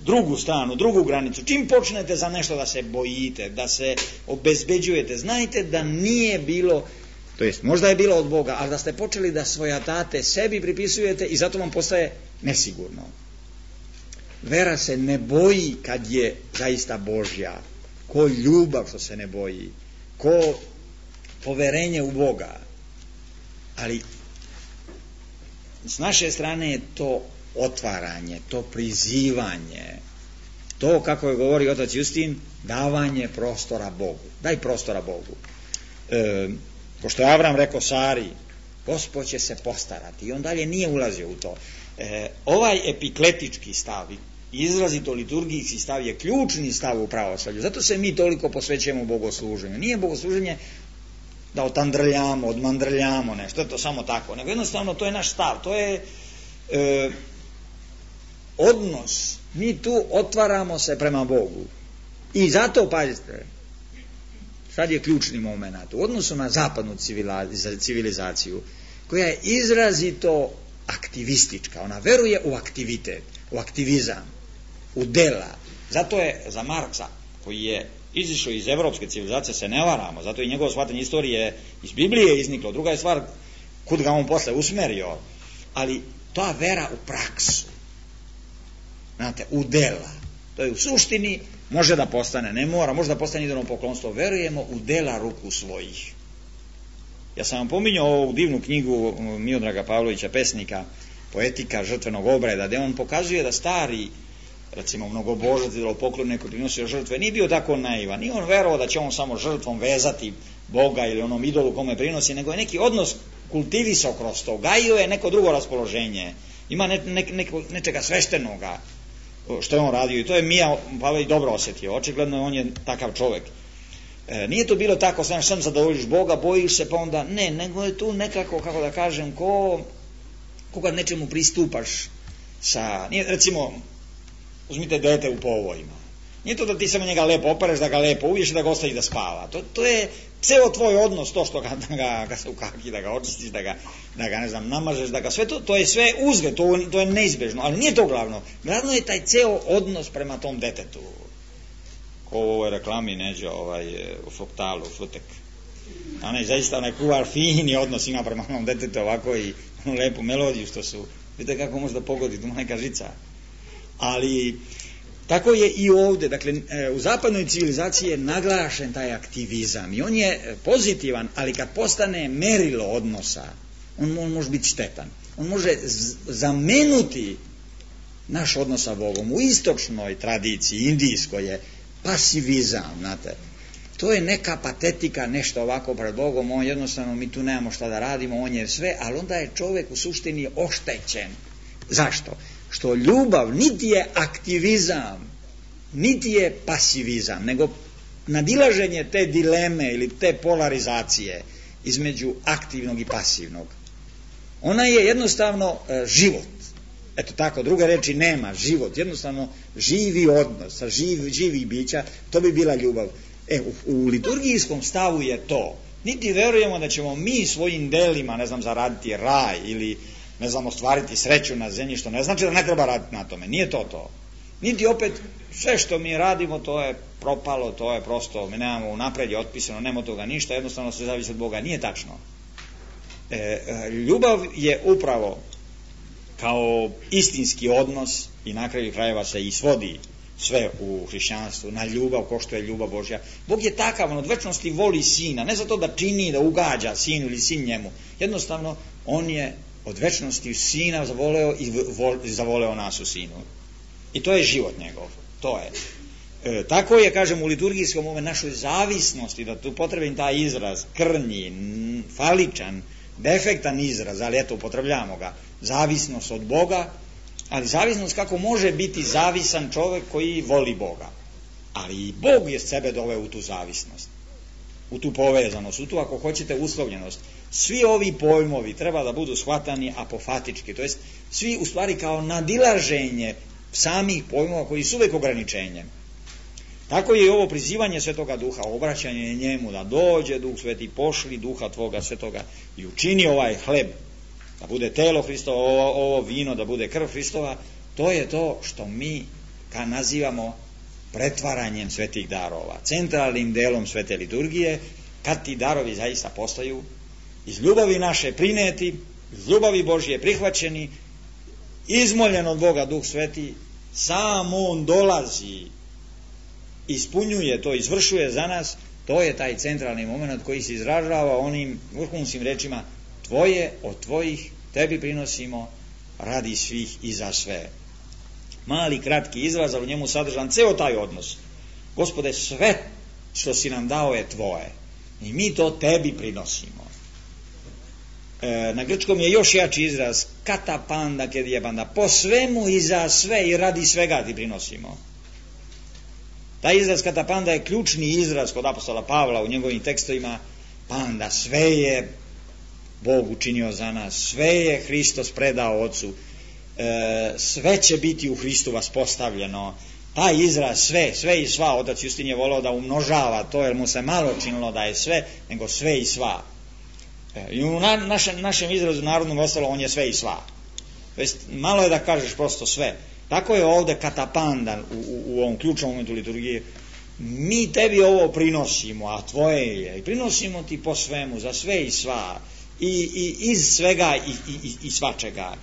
drugu stranu, drugu granicu? Čim počnete za nešto da se bojite, da se obezbeđujete, znajte da nije bilo, to jest možda je bilo od Boga, ali da ste počeli da svojatate sebi pripisujete i zato vam postaje nesigurno. Vera se ne boji kad je zaista Božja, ko ljubav što se ne boji, ko poverenje u Boga, ali s naše strane je to otvaranje, to prizivanje, to, kako je govori otac Justin, davanje prostora Bogu. Daj prostora Bogu. Ko što je Avram rekao Sari, Gospod će se postarati, i on dalje nije ulazio u to. Ovaj epikletički stav, izrazito liturgijski stav, je ključni stav u pravoslavlju. Zato se mi toliko posvećujemo bogosluženju. Nije bogosluženje da otandrljamo, odmandrljamo nešto, to samo tako, nego jednostavno to je naš stav, to je odnos. Mi tu otvaramo se prema Bogu. I zato, pazite, sad je ključni moment u odnosu na zapadnu civilizaciju, koja je izrazito aktivistička. Ona veruje u aktivitet, u aktivizam, u dela. Zato je za Marksa, koji je izišao iz evropske civilizacije, se ne varamo, zato je njegovo shvatanje istorije iz Biblije izniklo. Druga je stvar kud ga on posle usmerio, ali ta vera u praksu, znate, u dela, to je u suštini, može da postane, ne mora, može da postane idolno poklonstvo, verujemo u dela ruku svojih. Ja sam vam pominjao ovu divnu knjigu Miodraga Pavlovića, pesnika, Poetika žrtvenog obreda, gde on pokazuje da stari, recimo mnogobožac, idolopoklon, neko prinosio žrtve, nije bio tako naivan, nije on verovao da će on samo žrtvom vezati Boga ili onom idolu kome prinosi, nego je neki odnos kultivisao kroz to, gajio je neko drugo raspoloženje, ima nečega sveštenoga što je on radio, i to je Mija Pavlović dobro osjetio, očigledno on je takav čovek. Nije to bilo tako, sam zadovoljiš Boga, bojiš se, pa onda ne, nego je tu nekako, kako da kažem, koga nečemu pristupaš sa, nije, recimo, uzmite dete u povojima, nije to da ti samo njega lepo opereš, da ga lepo uviješ i da ga ostaviš da spava, to je ceo tvoj odnos, to što ga se ukaki, da ga očistiš, da ga ne znam, namažeš, da ga sve to je sve uzgled, to je neizbežno, ali nije to glavno je taj ceo odnos prema tom detetu, ko u ovoj reklami Neđo, u Fruktalu, Frutek, zaista onaj kuvar fini odnos ima prema onom detetu ovako i onu lepu melodiju što su, vidite kako može da pogodi, tu neka žica, ali tako je i ovdje, dakle u zapadnoj civilizaciji je naglašen taj aktivizam i on je pozitivan, ali kad postane merilo odnosa, on može biti štetan, on može zamenuti naš odnos sa Bogom. U istočnoj tradiciji, indijskoj, je pasivizam, znate, to je neka patetika, nešto ovako pred Bogom, on jednostavno, mi tu nemamo šta da radimo, on je sve, ali onda je čovjek u suštini oštećen. Zašto? Što ljubav niti je aktivizam, niti je pasivizam, nego nadilaženje te dileme ili te polarizacije između aktivnog i pasivnog. Ona je jednostavno život. Eto tako, druge reči nema, život, jednostavno živi odnos sa živih bića, to bi bila ljubav. U liturgijskom stavu je to. Niti verujemo da ćemo mi svojim delima, ne znam, zaraditi raj ili, ne znam, ostvariti sreću na zemlji, što ne znači da ne treba raditi na tome. Nije to. Niti opet sve što mi radimo, to je propalo, to je prosto, mi nemamo unapred je otpisano, nema toga ništa, jednostavno se zavisi od Boga. Nije tačno. Ljubav je upravo kao istinski odnos i na kraju krajeva se i svodi sve u hrišćanstvu na ljubav, ko što je ljubav Božja. Bog je takav, on od večnosti voli sina, ne zato da čini, da ugađa sinu ili sin njemu, jednostavno on je od večnosti sina zavoleo i zavoleo nas u sinu. I to je život njegov, to je. Tako je, kažem, u liturgijskom ove našoj zavisnosti, da tu potrebim taj izraz, krnji, faličan, defektan izraz, ali eto, upotrebljamo ga, zavisnost od Boga, ali zavisnost kako može biti zavisan čovjek koji voli Boga. Ali i Bog je sebe doveo u tu zavisnost, u tu povezanost, u tu, ako hoćete, uslovljenost. Svi ovi pojmovi treba da budu shvatani apofatički, to jest svi u stvari kao nadilaženje samih pojmova koji su uvijek ograničenjem. Tako je i ovo prizivanje Svetoga Duha, obraćanje njemu, da dođe Duh Sveti, pošli Duha Tvoga Svetoga i učini ovaj hleb da bude telo Hristovo, ovo vino da bude krv Hristova. To je to što mi nazivamo pretvaranjem svetih darova, centralnim delom svete liturgije, kad ti darovi zaista postaju iz ljubavi naše prineti, iz ljubavi Božje prihvaćeni, izmoljen od Boga Duh Sveti, sam on dolazi, ispunjuje to, izvršuje za nas. To je taj centralni moment koji se izražava onim vrhunskim rečima: tvoje od tvojih tebi prinosimo, radi svih i za sve. Mali kratki izraz, ali u njemu sadržan ceo taj odnos. Gospode, sve što si nam dao je tvoje i mi to tebi prinosimo. Na grčkom je još jači izraz katapanda kedijebanda, po svemu i za sve i radi svega ti prinosimo. Taj izraz katapanda je ključni izraz kod apostola Pavla u njegovim tekstovima. Panda, sve je Bog učinio za nas, sve je Hristos predao Otcu, sve će biti u Hristu vaspostavljeno. Taj izraz sve i sva, otac Justin je volao da umnožava to, jer mu se malo činilo da je sve, nego sve i sva. I u našem izrazu narodnom ostalo on je sve i sva. Malo je da kažeš prosto sve. Tako je ovdje katapandan u ovom ključnom momentu liturgije. Mi tebi ovo prinosimo, a tvoje je, i prinosimo ti po svemu, za sve i sva, i iz svega i svačega,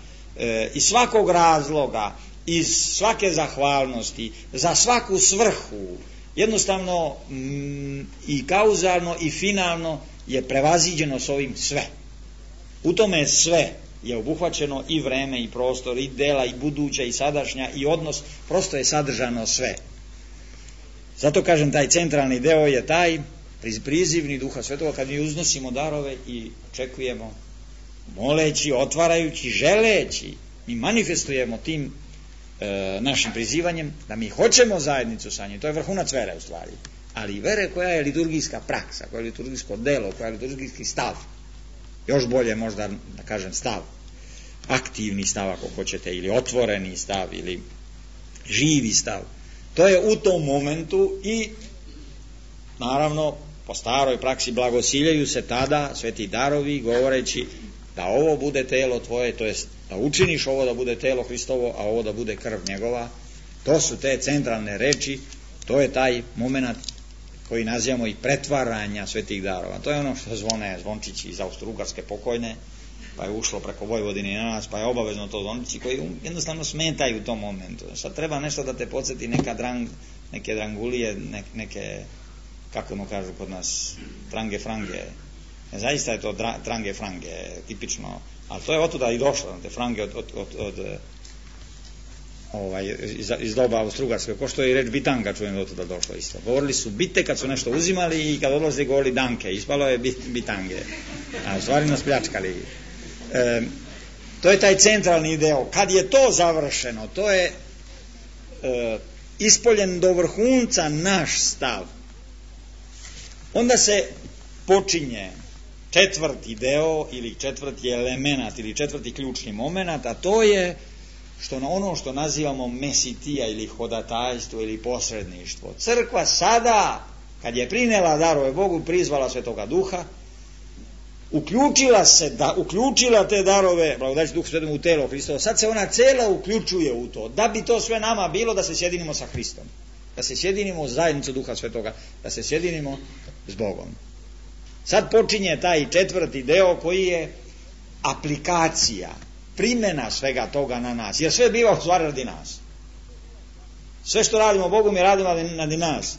iz svakog razloga, iz svake zahvalnosti, za svaku svrhu. Jednostavno i kauzalno i finalno je prevaziđeno s ovim sve. U tome sve je obuhvaćeno i vreme i prostor i dela i buduća i sadašnja i odnos, prosto je sadržano sve. Zato kažem, taj centralni deo je taj prizivni Duha Svetoga, kad mi uznosimo darove i očekujemo, moleći, otvarajući, želeći, mi manifestujemo tim našim prizivanjem da mi hoćemo zajednicu sa njim. To je vrhunac vere u stvari, ali vere koja je liturgijska praksa, koja je liturgijsko delo, koja je liturgijski stav, još bolje možda da kažem stav, aktivni stav ako hoćete, ili otvoreni stav, ili živi stav. To je u tom momentu i naravno po staroj praksi blagosiljaju se tada sveti darovi govoreći da ovo bude telo tvoje, to jest da učiniš ovo da bude telo Hristovo, a ovo da bude krv njegova. To su te centralne reči, to je taj moment koji nazivamo i pretvaranja svetih darova. To je ono što zvone zvončići iz Austro-Ugarske pokojne, pa je ušlo preko Vojvodine na nas, pa je obavezno to zvončići koji jednostavno smetaju u tom momentu. Sad treba nešto da te podsjeti, neke drangulije, neke, kako ono kažu kod nas, trange frange. Zaista je to trange frange, tipično, ali to je otuda i došlo, te frange iz doba Austro-Ugarske, ko što je i reč bitanga, čujem da otuda došlo isto. Govorili su bite kad su nešto uzimali i kad odlaze govorili danke, ispalo je bitange, a u stvari nas pljačkali. To je taj centralni deo. Kad je to završeno, to je ispoljen do vrhunca naš stav, onda se počinje četvrti deo ili četvrti element ili četvrti ključni moment, a to je ono što nazivamo mesitija ili hodatajstvo ili posredništvo. Crkva sada, kad je prinela darove Bogu, prizvala Svetoga Duha, uključila te darove, blagodajući Duhu Svetom, u telo Hristovo. Sad se ona cela uključuje u to, da bi to sve nama bilo, da se sjedinimo sa Hristom, da se sjedinimo u zajednicu Duha Svetoga, da se sjedinimo s Bogom. Sad počinje taj četvrti deo koji je aplikacija, primjena svega toga na nas, jer sve biva u stvari radi nas. Sve što radimo Bogu mi radimo radi nas.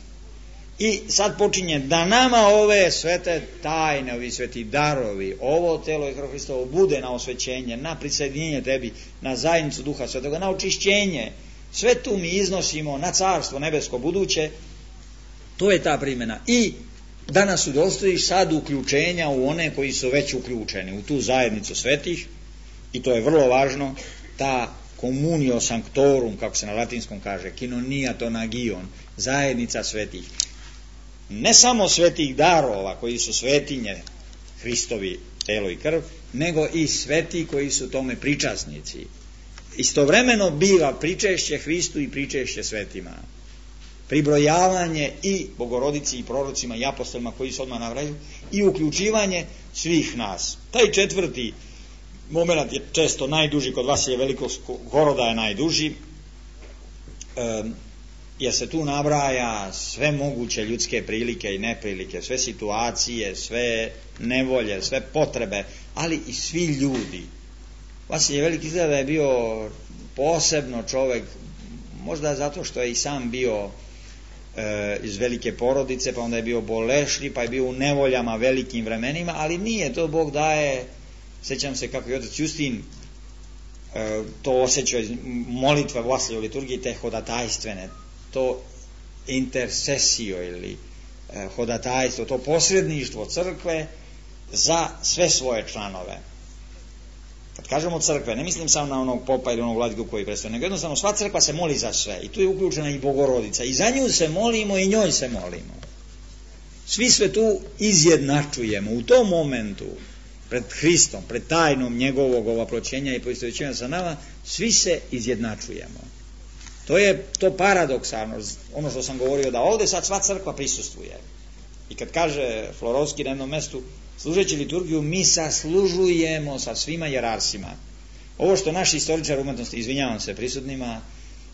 I sad počinje da nama ove svete tajne, ovi sveti darovi, ovo telo i krv Hristovo bude na osvećenje, na prisjedinjenje tebi, na zajednicu Duha Svetoga, na očišćenje. Sve tu mi iznosimo na carstvo nebesko buduće. To je ta primjena. I da nas udostojiš sad uključenja u one koji su već uključeni, u tu zajednicu svetih, i to je vrlo važno, ta communio sanctorum, kako se na latinskom kaže, kinoniaton agion, zajednica svetih. Ne samo svetih darova koji su svetinje, Hristovi telo i krv, nego i sveti koji su tome pričasnici. Istovremeno biva pričešće Hristu i pričešće svetima. Pribrojavanje i Bogorodici i prorocima i apostolima koji se odmah navraju i uključivanje svih nas. Taj četvrti moment je često najduži, kod Vasilija Velikog Horoda je najduži, jer se tu nabraja sve moguće ljudske prilike i neprilike, sve situacije, sve nevolje, sve potrebe, ali i svi ljudi. Vasilije Veliki izgleda da je bio posebno čovjek, možda zato što je i sam bio iz velike porodice, pa onda je bio bolešni, pa je bio u nevoljama velikim vremenima, ali nije, to Bog daje. Sjećam se kako je otac Justin to osjećao iz molitve Vasilije u liturgiji, te hodatajstvene, to intercesio ili hodatajstvo, to posredništvo crkve za sve svoje članove. Kad kažemo crkve, ne mislim samo na onog popa ili onog vladiku koji predstavlja, nego jednostavno sva crkva se moli za sve i tu je uključena i Bogorodica i za nju se molimo i njoj se molimo. Svi sve tu izjednačujemo u tom momentu pred Hristom, pred tajnom njegovog ovaploćenja i poistovjećenja sa nama, svi se izjednačujemo. To je to paradoksalno, ono što sam govorio, da ovdje sad sva crkva prisustvuje. I kad kaže Florovski na jednom mestu, služeći liturgiju, mi saslužujemo sa svima jerarsima. Ovo što naši istoričari umetnosti, izvinjavam se prisutnima,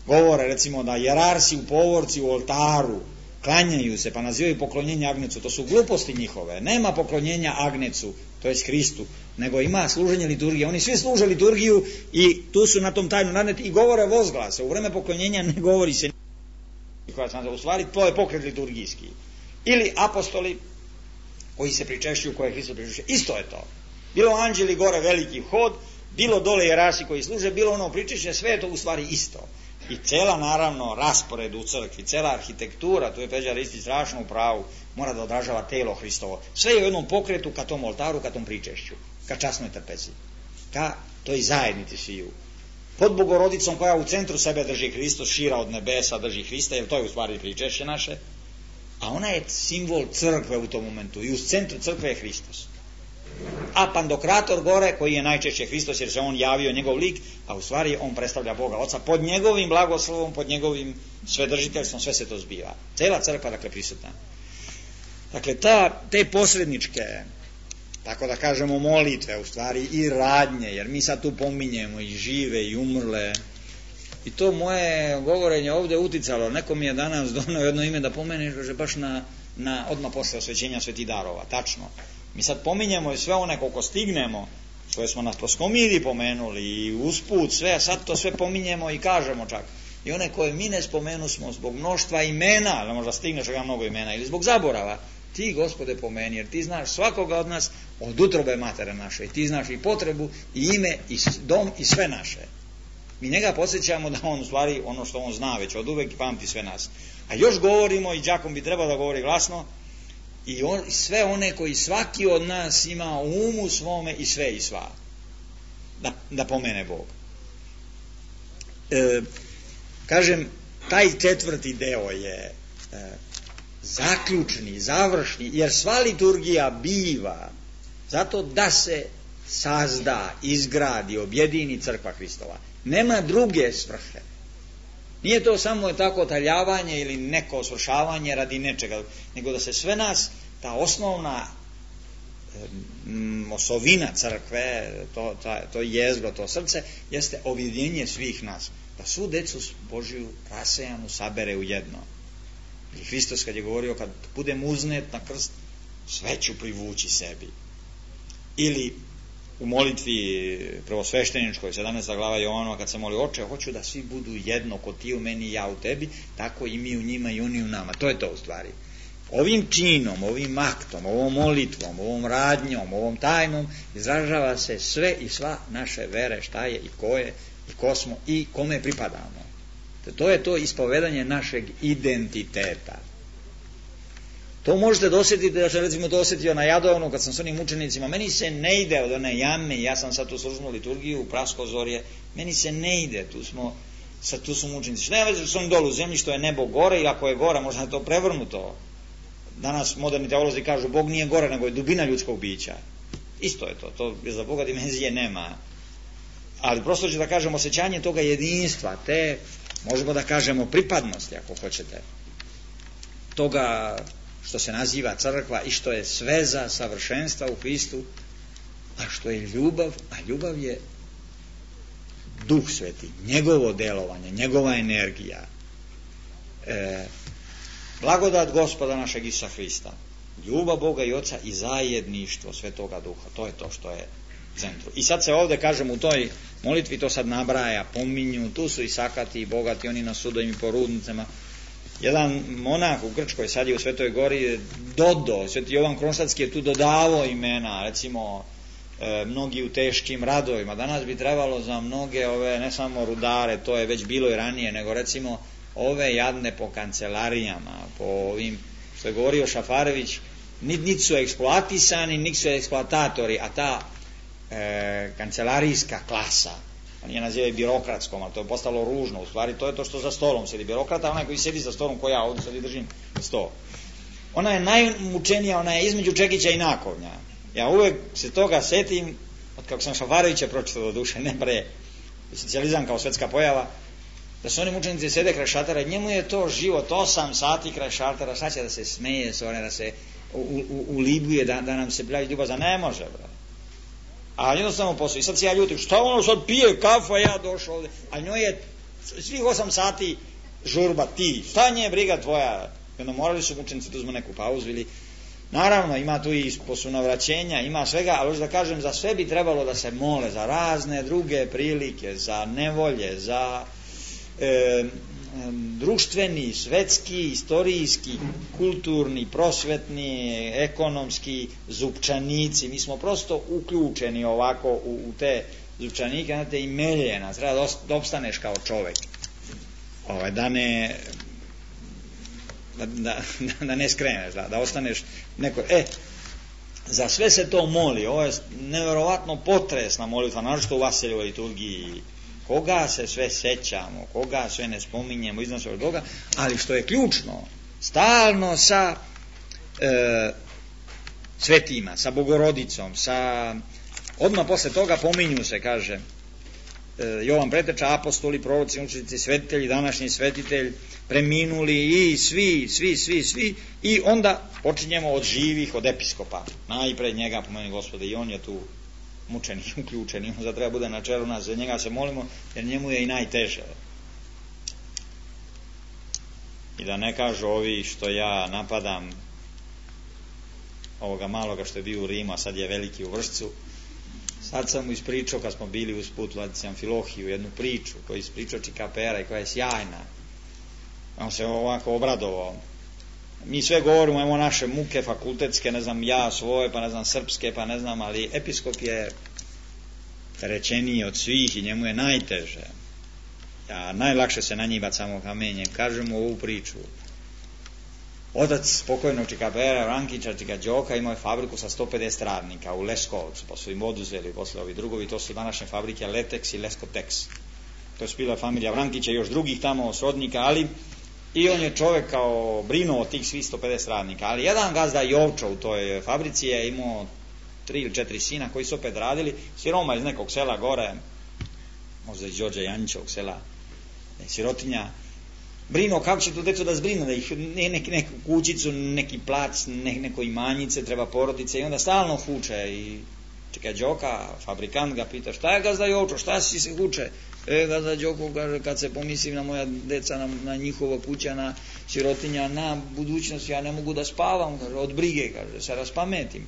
govore recimo da jerarsi u povorci u oltaru klanjaju se pa nazivaju poklonjenje Agnecu, to su gluposti njihove. Nema poklonjenja Agnecu, to je Hristu, nego ima služenje liturgije. Oni svi služe liturgiju i tu su na tom tajnom nadneti i govore vozglase. U vreme poklonjenja ne govori se u stvari, to je pokret liturgijski. Ili apostoli koji se pričešćuju, koje Hristo pričešćuje, isto je to. Bilo anđeli gore veliki hod, bilo dole jerarsi koji služe, bilo ono pričešće, sve je to u stvari isto. I cela naravno raspored u crkvi, cela arhitektura, tu je Peđa Ristić strašno u pravu, mora da odražava telo Hristovo. Sve je u jednom pokretu ka tom oltaru, ka tom pričešću, ka časnoj trpezi, ka toj zajednici sviju. Pod Bogorodicom koja u centru sebe drži Hristos, šira od nebesa drži Hrista, jer to je u stvari pričešće naše, a ona je simbol crkve u tom momentu i u centru crkve je Hristos. A Pandokrator gore, koji je najčešće Hristos jer se on javio, njegov lik, a u stvari on predstavlja Boga Oca, pod njegovim blagoslovom, pod njegovim svedržiteljstvom sve se to zbiva. Cela crkva dakle prisutna. Dakle te posredničke, tako da kažemo molitve, u stvari i radnje, jer mi sad tu pominjemo i žive i umrle, i to moje govorenje ovdje uticalo. Neko mi je danas donio jedno ime da pomene, že baš na odmah posle osvećenja svetih darova, tačno. Mi sad pominjemo i sve one koliko stignemo, koje smo na proskomidi pomenuli i usput sve, a sad to sve pominjemo i kažemo čak. I one koje mi ne spomenu smo zbog mnoštva imena, ali možda stigneš ga mnogo imena, ili zbog zaborava, ti Gospode pomeni, jer ti znaš svakoga od nas od utrobe matere naše, i ti znaš i potrebu, i ime, i dom, i sve naše. Mi njega podsjećamo da on u stvari ono što on zna već od uvek i pamti sve nas. A još govorimo, i đakom bi trebao da govori glasno, i sve one koji svaki od nas ima u umu svome i sve i sva. Da pomene Bog. Kažem, taj četvrti deo je zaključni, završni, jer sva liturgija biva zato da se sazda, izgradi, objedini crkva Hristova. Nema druge svrhe. Nije to samo tako taljavanje ili neko svršavanje radi nečega, nego da se sve nas, ta osnovna osovina crkve, to jezgro, to srce, jeste objedinjenje svih nas. Da svu decu Božiju rasejanu sabere u jedno. I Hristos kad je govorio, kad budem uznet na krst, sve ću privući sebi. Ili u molitvi prvosvešteničkoj 17. glava Jovanova, kad se moli, Oče, hoću da svi budu jedno, ko ti u meni i ja u tebi, tako i mi u njima i oni u nama. To je to u stvari. Ovim činom, ovim aktom, ovom molitvom, ovom radnjom, ovom tajnom izražava se sve i sva naše vere, šta je i ko je i ko smo i kome pripadamo. To je to ispovedanje našeg identiteta. To možete dosjetiti, da sam recimo to osjetio na Jadovnu kad sam s onim učenicima, meni se ne ide od one jame, ja sam sad tu služnu liturgiju u Praskozorje, meni se ne ide, tu su mučenici. Što nema veze što su oni dolu u zemlji, što je nebo gore, i ako je gora, možda je to prevrnuto. Danas moderni teolozi kažu, Bog nije gore, nego je dubina ljudskog bića. Isto je to za Boga dimenzije nema. Ali prosto ću da kažem osjećanje toga jedinstva, te, možemo da kažemo pripadnosti, ako hoćete, toga što se naziva crkva i što je sveza savršenstva u Hristu, a što je ljubav, a ljubav je Duh Sveti, njegovo delovanje, njegova energija, blagodat Gospoda našeg Isusa Hrista, ljubav Boga i Oca i zajedništvo Svetoga Duha. To je to što je centru. I sad se ovdje, kažem, u toj molitvi to sad nabraja, pominju, tu su i sakati i bogati, oni na sudovima i po rudnicama. Jedan monah u Grčkoj, sad je u Svetoj Gori, Sveti Jovan Kronštadtski je tu dodavao imena, recimo mnogi u teškim radovima. Danas bi trebalo za mnoge ove, ne samo rudare, to je već bilo i ranije, nego recimo ove jadne po kancelarijama, po ovim, što je govorio Šafarević, niti su eksploatisani, niti su eksploatatori, a ta kancelarijska klasa, oni je nazivaju birokratskom, ali to je postalo ružno, u stvari to je to što za stolom sedi birokrata, onaj koji sedi za stolom, ko ja ovdje sad držim sto. Ona je najmučenija, ona je između čekića i nakovnja. Ja uvek se toga setim, od kako sam Šafarevića pročitao do duše, ne pre, socijalizam kao svetska pojava, da su oni mučenici sede kraj šatera, njemu je to život, 8 sati kraj šatera, sad će da se smeje, da se ulibuje, da nam se pljavi ljubav, ne može, bro. A jednostavno posao. I sad se ja ljutim, šta ono sad pije kafa, ja došao ovdje. A njoj je svih 8 sati žurba, ti, šta nje briga tvoja? Jedno morali su mučenici da uzmu neku pauzu ili... Naravno, ima tu i posunavraćenja, ima svega, ali da kažem, za sve bi trebalo da se mole, za razne druge prilike, za nevolje, za društveni, svetski, istorijski, kulturni, prosvetni, ekonomski zupčanici. Mi smo prosto uključeni ovako u te zupčanike, znate, i meljena, treba da opstaneš kao čovek. Da ne skreneš, da ostaneš neko... Za sve se to moli, ovo je nevjerovatno potresna molitva, naročito u Vaseljevoj liturgiji. Koga se sve sećamo, koga sve ne spominjemo, iznosimo toga, ali što je ključno, stalno sa svetima, sa Bogorodicom, odmah posle toga pominju se, kaže Jovan Preteča, apostoli, proroci, učenici, svetitelji, današnji svetitelj, preminuli i svi, i onda počinjemo od živih, od episkopa, najpred njega pomeni Gospode, i on je tu mučenih, uključeni, on treba bude na čelu nas, za njega se molimo, jer njemu je i najteže. I da ne kažu ovi što ja napadam ovoga maloga što je bio u Rimu, a sad je veliki u Vršcu. Sad sam mu ispričao, kad smo bili uz put Vladici Amfilohiju, jednu priču koju je ispričao Čikapera i koja je sjajna. On se ovako obradovao. Mi sve govorimo, imamo naše muke fakultetske, ne znam, ja svoje, pa ne znam, srpske, pa ne znam, ali episkop je rečeniji od svih i njemu je najteže. Najlakše se na njih bacamo kamenjem. Kažemo ovu priču. Otac pokojnog Čikapera, Rankića, Čika Đoka, imao je fabriku sa 150 radnika u Leskovcu, pa su im oduzeli posle ovi drugovi, to su današnje fabrike Letex i Leskotex. To je bila familija Vrankića i još drugih tamo srodnika, ali i on je čovjek kao brinuo od tih svih 150 radnika. Ali jedan gazda Jovčo u toj fabrici je imao 3 ili 4 sina koji su opet radili, siroma iz nekog sela gore, možda iz Đorđa Janjićevog sela, sirotinja. Brinuo kako će to deco da zbrinu, da ih neku kućicu, neki plac, neko imanjice, treba porodice, i onda stalno huče. I Čika Đoka, fabrikant, ga pita, šta je gazda Jovčo, šta si se huče? Gazda Đoko kaže, kad se pomislim na moja deca, na njihova kuća, na sirotinja, na budućnost, ja ne mogu da spavam, kaže, od brige, kaže, se raspametim.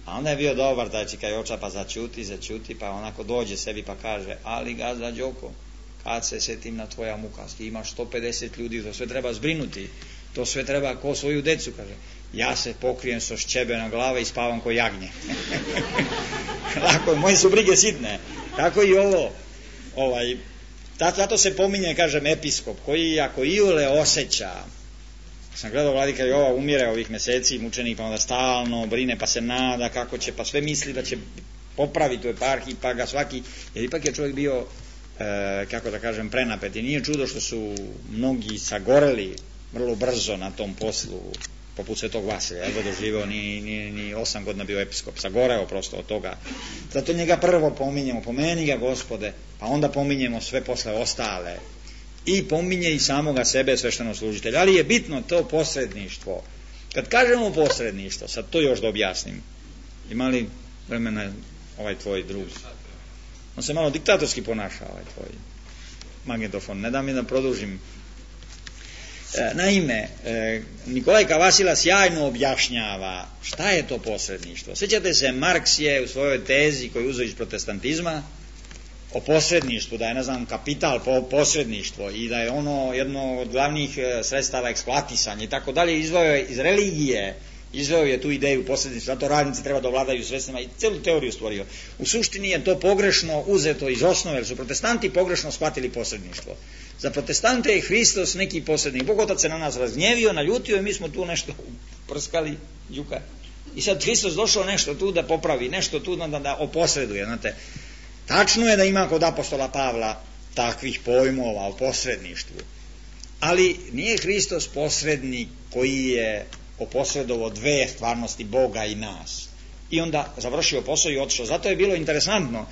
A onda je bio dobar taj Čika Joča, pa začuti, pa onako dođe sebi pa kaže, ali gazda Đoko, kad se setim na tvoja muka, ti imaš 150 ljudi, to sve treba zbrinuti, to sve treba ko svoju decu, kaže, ja se pokrijem so šćebe na glave i spavam ko jagnje. Lako, moje su brige sitne. Tako i ovo, zato se pominje, kažem, episkop, koji ako iole osjeća sam gledao Vladika Jova umire ovih meseci, mučenik, pa onda stalno brine, pa se nada kako će, pa sve misli da će popraviti u eparhiji, pa ga svaki, jer ipak je čovjek bio, kako da kažem, prenapet i nije čudo što su mnogi sagoreli vrlo brzo na tom poslu, poput Svetog Vasilija, jedva doživio, ni 8 godina bio episkop, sagoreo prosto od toga. Zato njega prvo pominjemo, pomeni ga Gospode, pa onda pominjemo sve posle ostale i pominje i samoga sebe sveštenoslужitelja. Ali je bitno to posredništvo. Kad kažemo posredništvo, sad to još da objasnim, ima li vremena ovaj tvoj drug? On se malo diktatorski ponaša, ovaj tvoj magnetofon, ne da mi da produžim. Naime, Nikolajka Vasila sjajno objašnjava šta je to posredništvo. Sjećate se, Marks je u svojoj tezi koju uzeo iz protestantizma o posredništvu, da je, ne znam, kapital posredništvo i da je ono jedno od glavnih sredstava eksploatisanja i tako dalje, izveo je iz religije, izveo je tu ideju posredništva, zato radnici treba da vladaju sredstvima i celu teoriju stvorio. U suštini je to pogrešno uzeto iz osnove, jer su protestanti pogrešno shvatili posredništvo. Za protestante je Hristos neki posrednik. Bog Otac se na nas razgnjevio, naljutio i mi smo tu nešto prskali, đuka. I sad Hristos došao nešto tu da popravi, nešto tu da oposreduje. Znate, tačno je da ima kod apostola Pavla takvih pojmova o posredništvu. Ali nije Hristos posrednik koji je oposredovao dve stvarnosti, Boga i nas. I onda završio posao i otišao. Zato je bilo interesantno,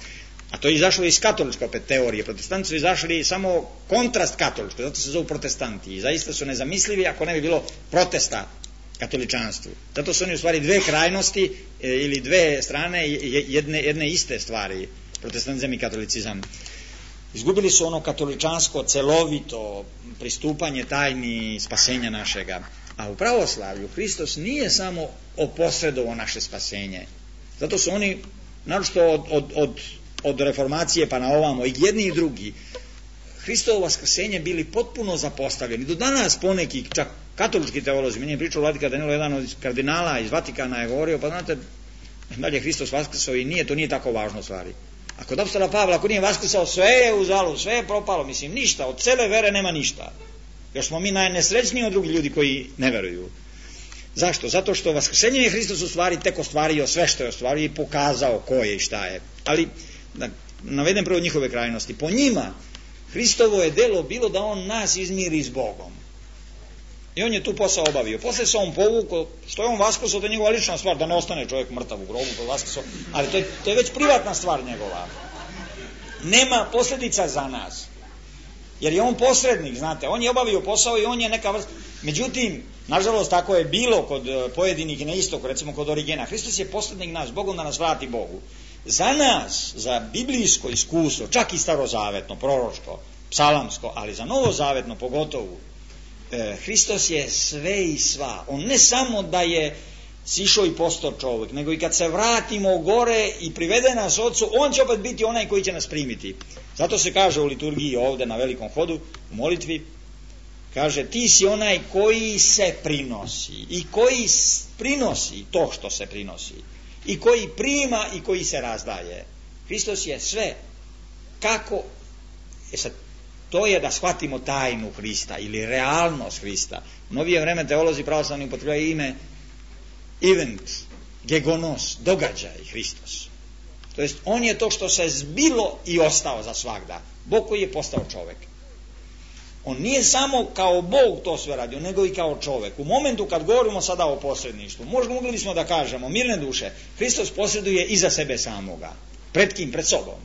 a to je izašlo iz katoličke opet teorije. Protestanti su izašli samo kontrast katoličke, zato se zovu protestanti. I zaista su nezamislivi ako ne bi bilo protesta katoličanstvu. Zato su oni u stvari dve krajnosti ili dve strane jedne iste stvari, protestantizam i katolicizam. Izgubili su ono katoličansko celovito pristupanje tajni spasenja našega. A u pravoslavlju Hristos nije samo oposredovao naše spasenje. Zato su oni, naročito od reformacije pa na ovamo, i jedni i drugi, Hristovo vaskrsenje bili potpuno zapostavljeni. Do danas poneki, čak katolički teolozi, meni je pričao Vladika Danilo, jedan od kardinala iz Vatikana je govorio, pa znate, dalje Hristos vaskrsao i to nije tako važno stvari. A kod apostola Pavla, ako nije vaskrsao, sve je uzalud, sve je propalo, mislim, ništa, od cele vere nema ništa. Još smo mi najnesrećniji od drugih ljudi koji ne veruju. Zašto? Zato što vaskrsenjem je Hristos u stvari tek ostvario sve što je ostvario i pokazao ko je i šta je. Ali, da navedem prvo njihove krajnosti. Po njima, Hristovo je delo bilo da on nas izmiri s Bogom. I on je tu posao obavio. Posle se on povukao, što je on vaskrsao, to je njegova lična stvar, da ne ostane čovjek mrtav u grobu, to je vaskrsao, ali to je već privatna stvar njegova. Nema posljedica za nas. Jer je on posrednik, znate, on je obavio posao i on je neka vrsta. Međutim, nažalost, tako je bilo kod pojedinih na istoku, recimo kod Origena. Hristos je posrednik nas, Bogom da nas vrati Bogu. Za nas, za biblijsko iskustvo, čak i starozavetno, proročko, psalamsko, ali za novozavetno pogotovo, Hristos je sve i sva. On ne samo da je sišao i postao čovjek, nego i kad se vratimo gore i privede nas Otcu, on će opet biti onaj koji će nas primiti. Zato se kaže u liturgiji ovdje na velikom hodu, u molitvi, kaže, ti si onaj koji se prinosi i koji prinosi to što se prinosi i koji prima i koji se razdaje. Hristos je sve. Kako? Sad, to je da shvatimo tajnu Hrista ili realnost Hrista. U novije vreme teolozi pravoslavni upotrebljavaju ime event, gegonos, događaj Hristos. To jest, on je to što se zbilo i ostao za svagda. Bog koji je postao čovjek. On nije samo kao Bog to sve radio, nego i kao čovjek. U momentu kad govorimo sada o posredništvu, mogli smo da kažemo, mirne duše, Hristos posreduje iza sebe samoga. Pred kim? Pred sobom.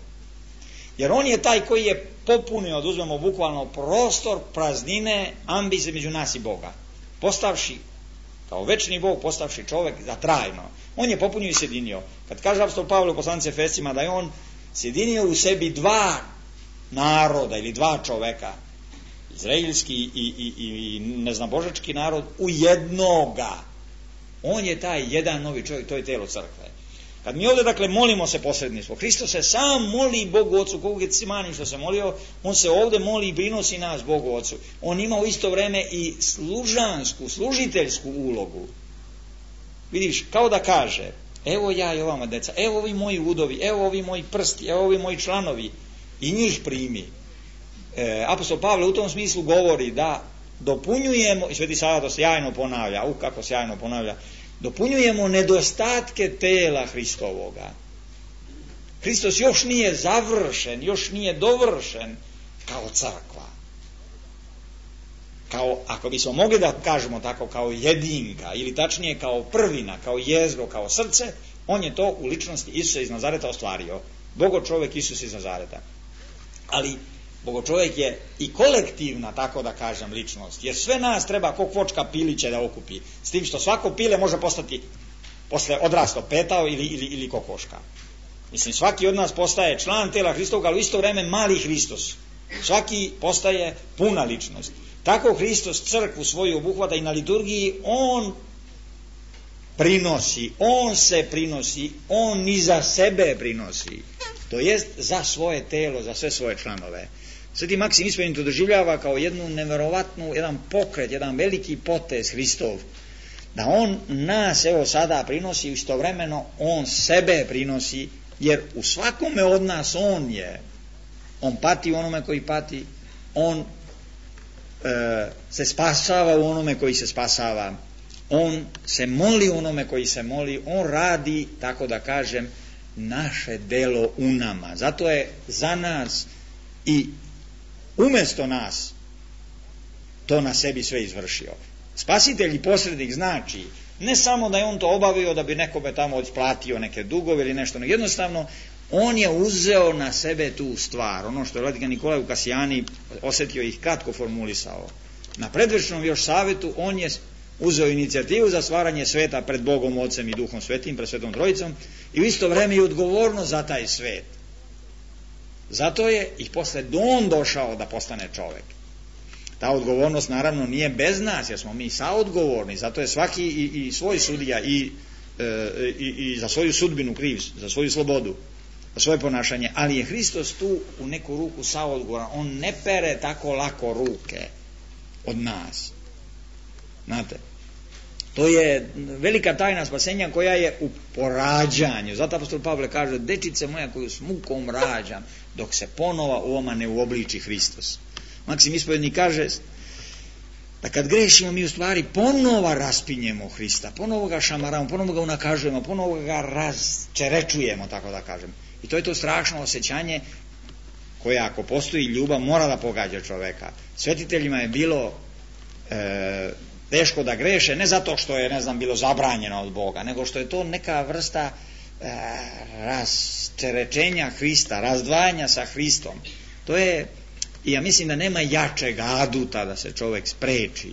Jer on je taj koji je popunio, da uzmemo bukvalno, prostor praznine, ambicije među nas i Boga. Postavši kao večni Bog, postavši čovjek za trajno. On je popunio i sjedinio. Kad kaže apostol Pavle u poslanici Efescima da je on sjedinio u sebi dva naroda ili dva čoveka, izraelski i neznabožački narod, u jednoga. On je taj jedan novi čovjek, to je telo crkve. Kad mi ovdje, dakle, molimo se posredništvo, Hristos se sam moli Bogu Ocu, kogu Getsimani što se molio, on se ovdje moli i prinosi nas Bogu Ocu. On ima u isto vrijeme i služansku, služiteljsku ulogu. Vidiš, kao da kaže, evo ja i ovama deca, evo ovi moji udovi, evo ovi moji prsti, evo ovi moji članovi, i njih primi. Apostol Pavle u tom smislu govori da dopunjujemo, i Sveti Sava to sjajno ponavlja, kako sjajno ponavlja, dopunjujemo nedostatke tela Hristovoga. Hristos još nije završen, još nije dovršen kao crkva. Kao, ako bismo mogli da kažemo tako, kao jedinka, ili tačnije kao prvina, kao jezgro, kao srce, on je to u ličnosti Isusa iz Nazareta ostvario. Bogočovek Isus iz Nazareta. Ali Bogočovek je i kolektivna, tako da kažem, ličnost, jer sve nas treba ko kvočka piliće da okupi, s tim što svako pile može postati posle odrasto petao ili kokoška. Mislim, svaki od nas postaje član tela Hristovog, ali u isto vreme mali Hristos. Svaki postaje puna ličnost. Tako Hristos crkvu svoju obuhvata i na liturgiji, on prinosi, on se prinosi, on i za sebe prinosi. To jest za svoje telo, za sve svoje članove. Sveti Maksim Ispovenik to doživljava kao jednu neverovatnu, jedan pokret, jedan veliki potez Hristov, da on nas evo sada prinosi, istovremeno on sebe prinosi, jer u svakome od nas on je. On pati u onome koji pati, on se spasava u onome koji se spasava, on se moli u onome koji se moli, on radi, tako da kažem, naše delo u nama. Zato je za nas i umjesto nas to na sebi sve izvršio. Spasitelj i posrednik znači ne samo da je on to obavio da bi nekome tamo isplatio neke dugove ili nešto, nego jednostavno on je uzeo na sebe tu stvar, ono što je Vladika Nikolaj u Kasijani osjetio i ih kratko formulisao. Na predvečnom još savjetu on je uzeo inicijativu za stvaranje sveta pred Bogom, Ocem i Duhom Svetim, pred Svetom Trojicom, i u isto vreme i odgovornost za taj svet. Zato je i posle on došao da postane čovjek. Ta odgovornost naravno nije bez nas, jer smo mi saodgovorni, zato je svaki i svoj sudija i za svoju sudbinu kriv, za svoju slobodu, za svoje ponašanje, ali je Hristos tu u neku ruku saodgovoran, on ne pere tako lako ruke od nas. Znate, to je velika tajna spasenja koja je u porađanju. Zato apostol Pavle kaže: dečice moja koju s mukom rađam, dok se ponova u vama ne uobliči Hristos. Maksim Ispovednik kaže da kad grešimo mi u stvari ponova raspinjemo Hrista, ponovo ga šamaramo, ponovo ga unakažujemo, ponovo ga razčerečujemo, tako da kažem. I to je to strašno osjećanje koje, ako postoji ljubav, mora da pogađa čoveka. Svetiteljima je bilo teško da greše, ne zato što je, bilo zabranjeno od Boga, nego što je to neka vrsta rasterećenja Hrista, razdvajanja sa Hristom. To je, i ja mislim da nema jačeg aduta da se čovjek spreči,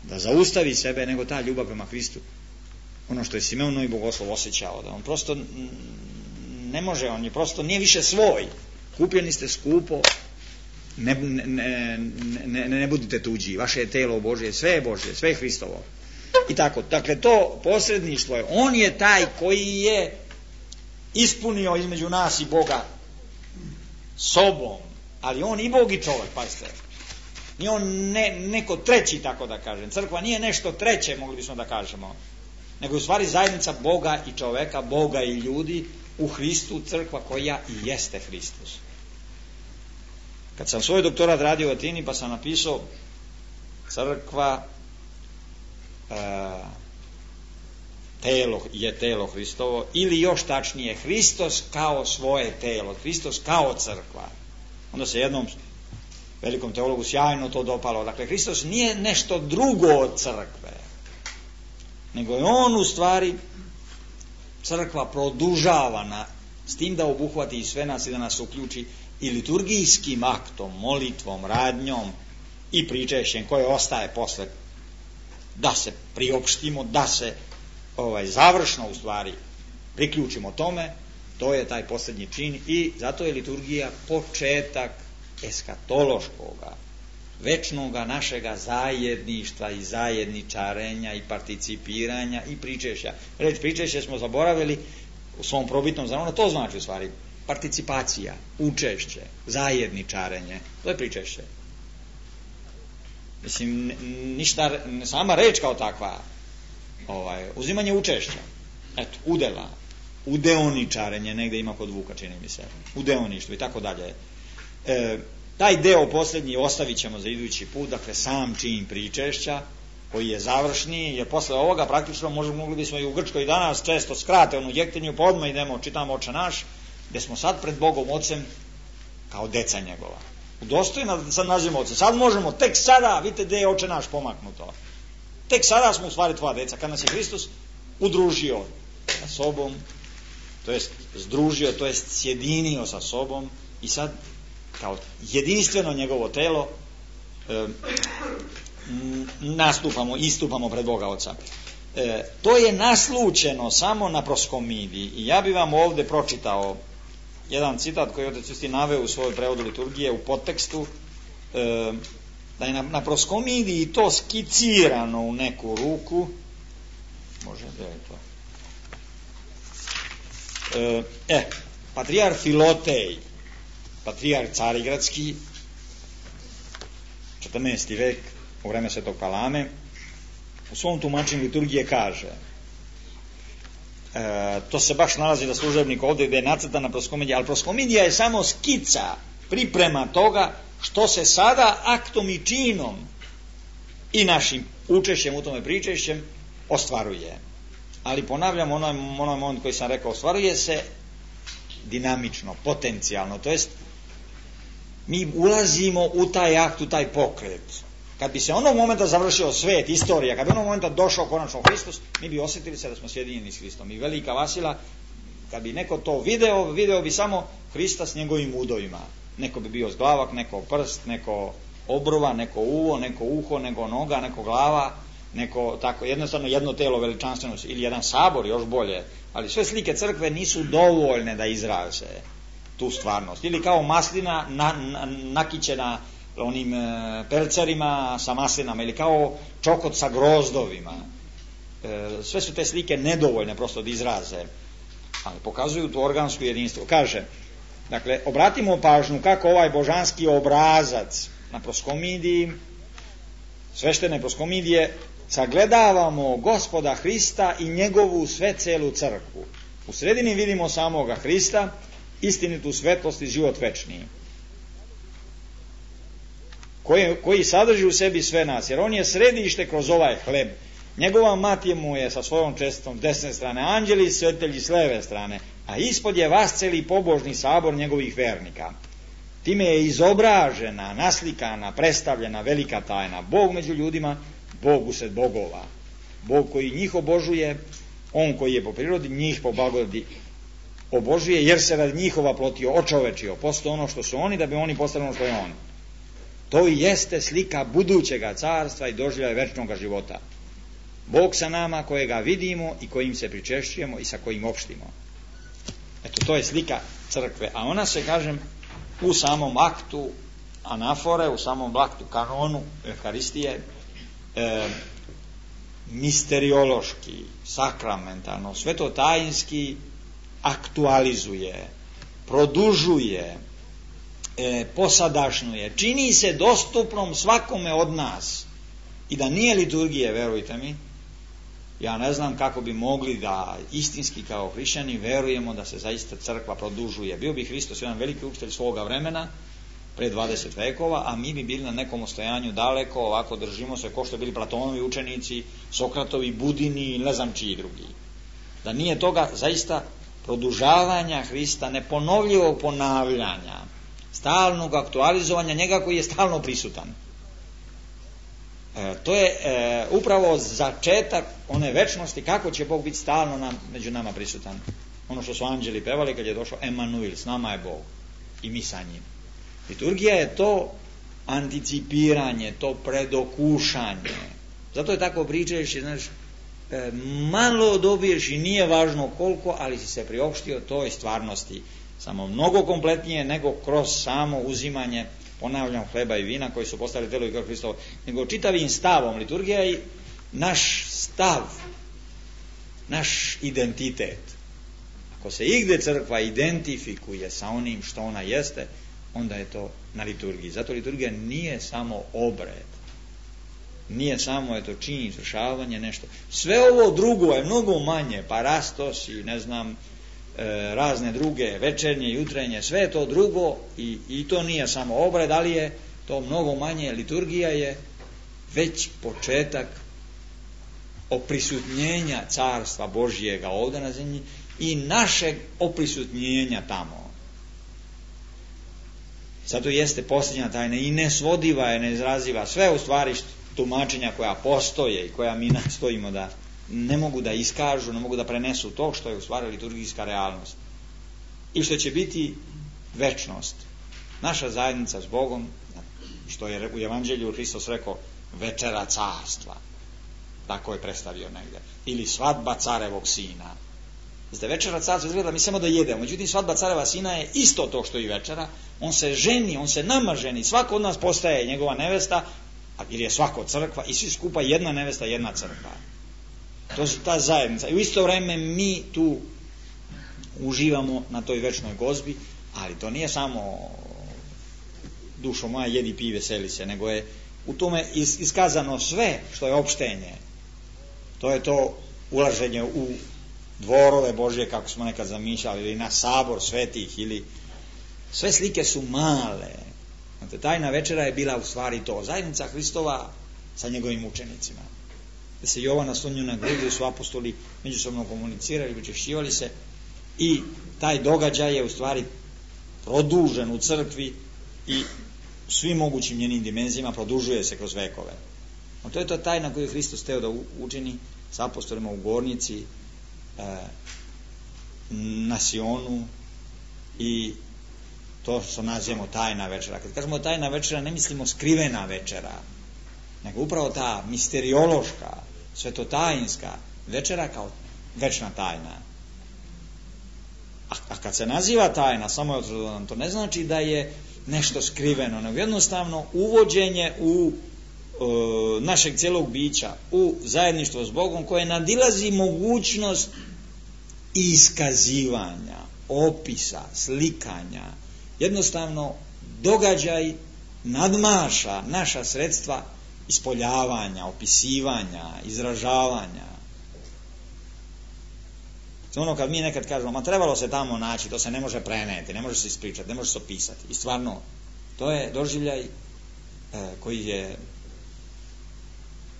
da zaustavi sebe, nego ta ljubav prema Hristu. Ono što je Simeon Novi Bogoslov osjećao, da on prosto ne može, on je prosto nije više svoj. Kupljeni ste skupo, ne budite tuđi, vaše je telo Božje, sve je Božje, sve je Hristovo. I tako, dakle to posredništvo je, on je taj koji je ispunio između nas i Boga sobom, ali on i Bog i čovjek, pazite. Nije on neko treći, tako da kažem. Crkva nije nešto treće, mogli bismo da kažemo, nego u stvari zajednica Boga i čoveka, Boga i ljudi u Hristu, crkva koja i jeste Hristos. Kad sam svoj doktorat radio u Atini, pa sam napisao crkva telo Hristovo, ili još tačnije Hristos kao svoje telo, Hristos kao crkva. Onda se jednom velikom teologu sjajno to dopalo. Dakle, Hristos nije nešto drugo od crkve, nego je on u stvari crkva produžavana, s tim da obuhvati i sve nas i da nas uključi i liturgijskim aktom, molitvom, radnjom i pričešćem koje ostaje posle, da se priopštimo, da se završno u stvari priključimo tome. To je taj posljednji čin i zato je liturgija početak eskatološkoga, večnoga našega zajedništva i zajedničarenja i participiranja i pričešća. Reč pričešće smo zaboravili u svom probitnom znanju, to znači u stvari participacija, učešće, zajedničarenje, to je pričešće. Mislim, ništa, sama reč kao takva, uzimanje učešća, eto, udela, udeoničarenje, negde ima kod Vuka, čini mi se, udeoništvo i tako dalje. Taj deo posljednji ostavit ćemo za idući put, dakle sam čin pričešća, koji je završni, jer posle ovoga praktično mogli bismo i u Grčkoj danas često skrate onu jektinju, pa odmah idemo, čitamo Oče naš, gde smo sad pred Bogom Ocem kao deca njegova. Udostojno da sad nazivamo Oce. Sad možemo, tek sada, vidite gde je Oče naš pomaknuto. Tek sada smo u stvari tvoja deca, kad nas je Hristos udružio sa sobom, to jest združio, to jest sjedinio sa sobom i sad kao jedinstveno njegovo telo istupamo pred Boga Oca. To je naslučeno samo na proskomidiji i ja bi vam ovdje pročitao jedan citat koji je Otac Justin naveo u svojoj prevodu liturgije u podtekstu, da je na proskomidiji to skicirano u neku ruku. Može da je to patrijar Filotej, patrijar Carigradski, 14. vek, u vreme Svetog Palame, u svom tumačenju liturgije kaže, to se baš nalazi da služebnik ovdje gdje je nacrtana proskomidija, ali proskomidija je samo skica, priprema toga što se sada aktom i činom i našim učešćem u tome pričešćem ostvaruje. Ali ponavljam onaj moment koji sam rekao, ostvaruje se dinamično, potencijalno, to jest mi ulazimo u taj akt, u taj pokret. Kad bi se onog momenta završio svet, istorija, kad bi onog momenta došao konačno Hristos, mi bi osjetili se da smo sjedinjeni s Hristom. I velika Vasila, kad bi neko to video bi samo Hrista s njegovim udovima. Neko bi bio zglavak, neko prst, neko obrva, neko uvo, neko uho, neko noga, neko glava, neko tako, jednostavno jedno telo veličanstveno, ili jedan sabor, još bolje. Ali sve slike crkve nisu dovoljne da izraze tu stvarnost. Ili kao maslina nakićena onim pelcerima sa maslinama, ili kao čokot sa grozdovima. Sve su te slike nedovoljne prosto da izraze, ali pokazuju tu organsku jedinstvo. Kaže, dakle, obratimo pažnju kako ovaj božanski obrazac na proskomidiji, sveštene proskomidije, sagledavamo Gospoda Hrista i njegovu sve celu crkvu. U sredini vidimo samoga Hrista, istinitu svetlost i život večni, koji sadrži u sebi sve nas, jer on je središte kroz ovaj hleb. Njegova mati mu je sa svojom čestitom s desne strane, anđeli i svetelji s leve strane, a ispod je vasceli pobožni sabor njegovih vernika. Time je izobražena, naslikana, predstavljena velika tajna. Bog među ljudima, Bog usred bogova. Bog koji njih obožuje, on koji je po prirodi njih po blagodati obožuje, jer se radi njihova plotio, očovečio, postao ono što su oni, da bi oni postali ono što je on. To i jeste slika budućega carstva i doživljaja večnog života. Bog sa nama kojega vidimo i kojim se pričešćujemo i sa kojim opštimo. Eto, to je slika crkve, a ona se, kažem, u samom aktu anafore, u samom aktu kanonu Euharistije, misteriološki, sakramentalno, svetotajinski aktualizuje, produžuje, posadašnjuje, čini se dostupnom svakome od nas. I da nije liturgije, verujte mi, ja ne znam kako bi mogli da istinski kao hrišćani verujemo da se zaista crkva produžuje. Bio bi Hristos jedan veliki učitelj svoga vremena, pre 20 vekova, a mi bi bili na nekom ostojanju daleko, ovako držimo se ko što bili Platonovi učenici, Sokratovi, Budini i ne znam čiji drugi. Da nije toga zaista produžavanja Hrista, neponovljivog ponavljanja, stalnog aktualizovanja njega koji je stalno prisutan. To je upravo začetak one večnosti, kako će Bog biti stalno među nama prisutan. Ono što su anđeli pevali kad je došao Emanuil, s nama je Bog i mi sa njim. Liturgija je to anticipiranje, to predokušanje. Zato je tako pričajući, znaš, malo dobiješ i nije važno koliko, ali si se priopštio toj stvarnosti. Samo mnogo kompletnije nego kroz samo uzimanje, ponavljam, hleba i vina koji su postali telo i krv Hristovo, nego čitavim stavom. Liturgija je naš stav, naš identitet. Ako se igde crkva identifikuje sa onim što ona jeste, onda je to na liturgiji. Zato liturgija nije samo obred, nije samo čin, izvršavanje, nešto. Sve ovo drugo je mnogo manje, parastos i ne znam, razne druge, večernje, jutrenje, sve je to drugo i to nije samo obred, ali je to mnogo manje. Liturgija je već početak oprisutnjenja Carstva Božijega ovdje na zemlji i našeg oprisutnjenja tamo. Zato jeste posljednja tajna i nesvodiva je, neizraziva. Sve u stvari tumačenja koja postoje i koja mi nastojimo da ne mogu da iskažu, ne mogu da prenesu to što je u stvari liturgijska realnost i što će biti večnost. Naša zajednica s Bogom, što je u Evanđelju Hristos rekao, večera carstva, tako je predstavio negdje, ili svadba carevog sina. Znate, večera carstva izgleda mi samo da jedemo, međutim svadba careva sina je isto to što i večera. On se ženi, on se nama ženi, svako od nas postaje njegova nevesta, jer je svako crkva i svi skupa jedna nevesta, jedna crkva. To je ta zajednica. I u isto vrijeme mi tu uživamo na toj večnoj gozbi, ali to nije samo dušo moja jedi pi veseli se, nego je u tome iskazano sve što je opštenje. To je to ulaženje u dvorove Božje, kako smo nekad zamišljali, ili na sabor svetih, ili sve slike su male. Znate, tajna večera je bila u stvari to, zajednica Hristova sa njegovim učenicima. Da se Jovan naslonio na grudi, su apostoli međusobno komunicirali, učešćivali se i taj događaj je u stvari produžen u crkvi i svim mogućim njenim dimenzijama produžuje se kroz vekove. To je to tajna koju Hristos hteo da učini s apostolima u Gornici, na Sionu, i to što nazivamo tajna večera. Kad kažemo tajna večera, ne mislimo skrivena večera, nego upravo ta misteriološka, svetotajinska večera kao večna tajna. A kad se naziva tajna, samo je to ne znači da je nešto skriveno, nego jednostavno uvođenje u našeg cijelog bića, u zajedništvo s Bogom, koje nadilazi mogućnost iskazivanja, opisa, slikanja. Jednostavno događaj nadmaša naša sredstva ispoljavanja, opisivanja, izražavanja. Ono kad mi nekad kažemo, ma trebalo se tamo naći, to se ne može preneti, ne može se ispričati, ne može se opisati. I stvarno, to je doživljaj koji je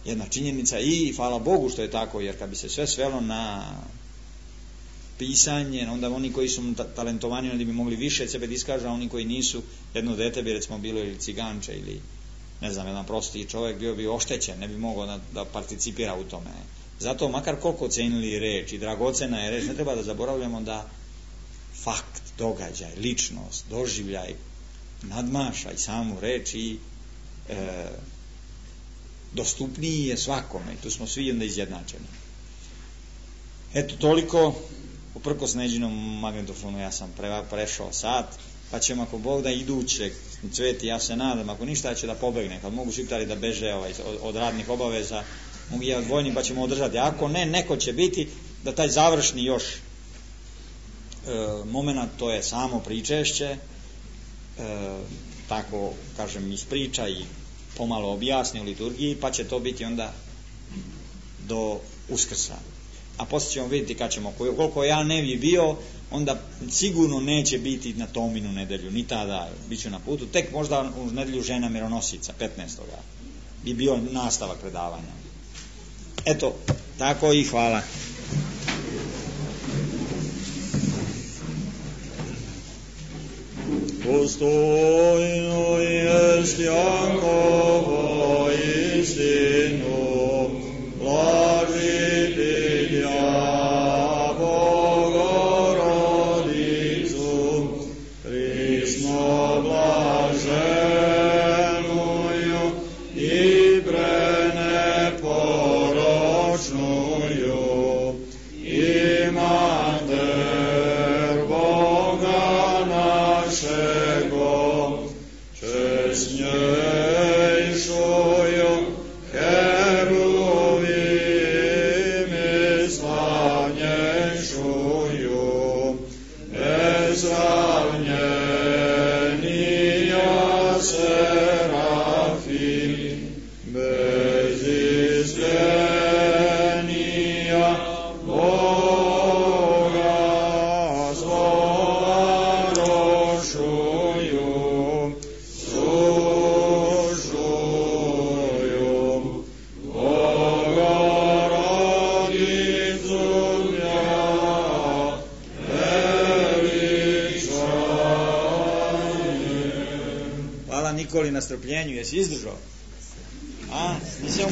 jedna činjenica i hvala Bogu što je tako, jer kad bi se sve svelo na pisanje, onda oni koji su talentovani onda bi mogli više sebe da iskažu, a oni koji nisu, jedno dete bi recimo bilo ili ciganče ili ne znam, jedan prosti čovjek bio bi oštećen, ne bi mogao da participira u tome. Zato makar koliko cenili reč i dragocena je reč, ne treba da zaboravljamo da fakt, događaj, ličnost, doživljaj nadmaša i samu reč i dostupniji je svakome i tu smo svi onda izjednačeni. Eto toliko, uprkos Neđinom magnetofonu ja sam prešao sat, pa ćemo ako Bog da idućeg Cveti, ja se nadam, ako ništa ja ću da pobegne, kad mogu šiptari da beže od radnih obaveza, mogu ja odvojni pa ćemo održati, ako ne, neko će biti da taj završni još moment, to je samo pričešće, tako kažem ispriča i pomalo objasni u liturgiji, pa će to biti onda do Uskrsa. A poslije ćemo vidjeti kad ćemo, koliko ja ne bi bio, onda sigurno neće biti na Tominu nedelju, ni tada, bit ću na putu, tek možda u nedelju žena mironosica, 15. bi bio nastavak predavanja. Eto, tako i hvala. Dostojno jest Jankovo istinu, blažiti ja Bogorodicu, prisno blaženuju i preneporočnuju, i mater Boga našego, čest njej uživali na strpljenju, jesi izdržao? A, nisi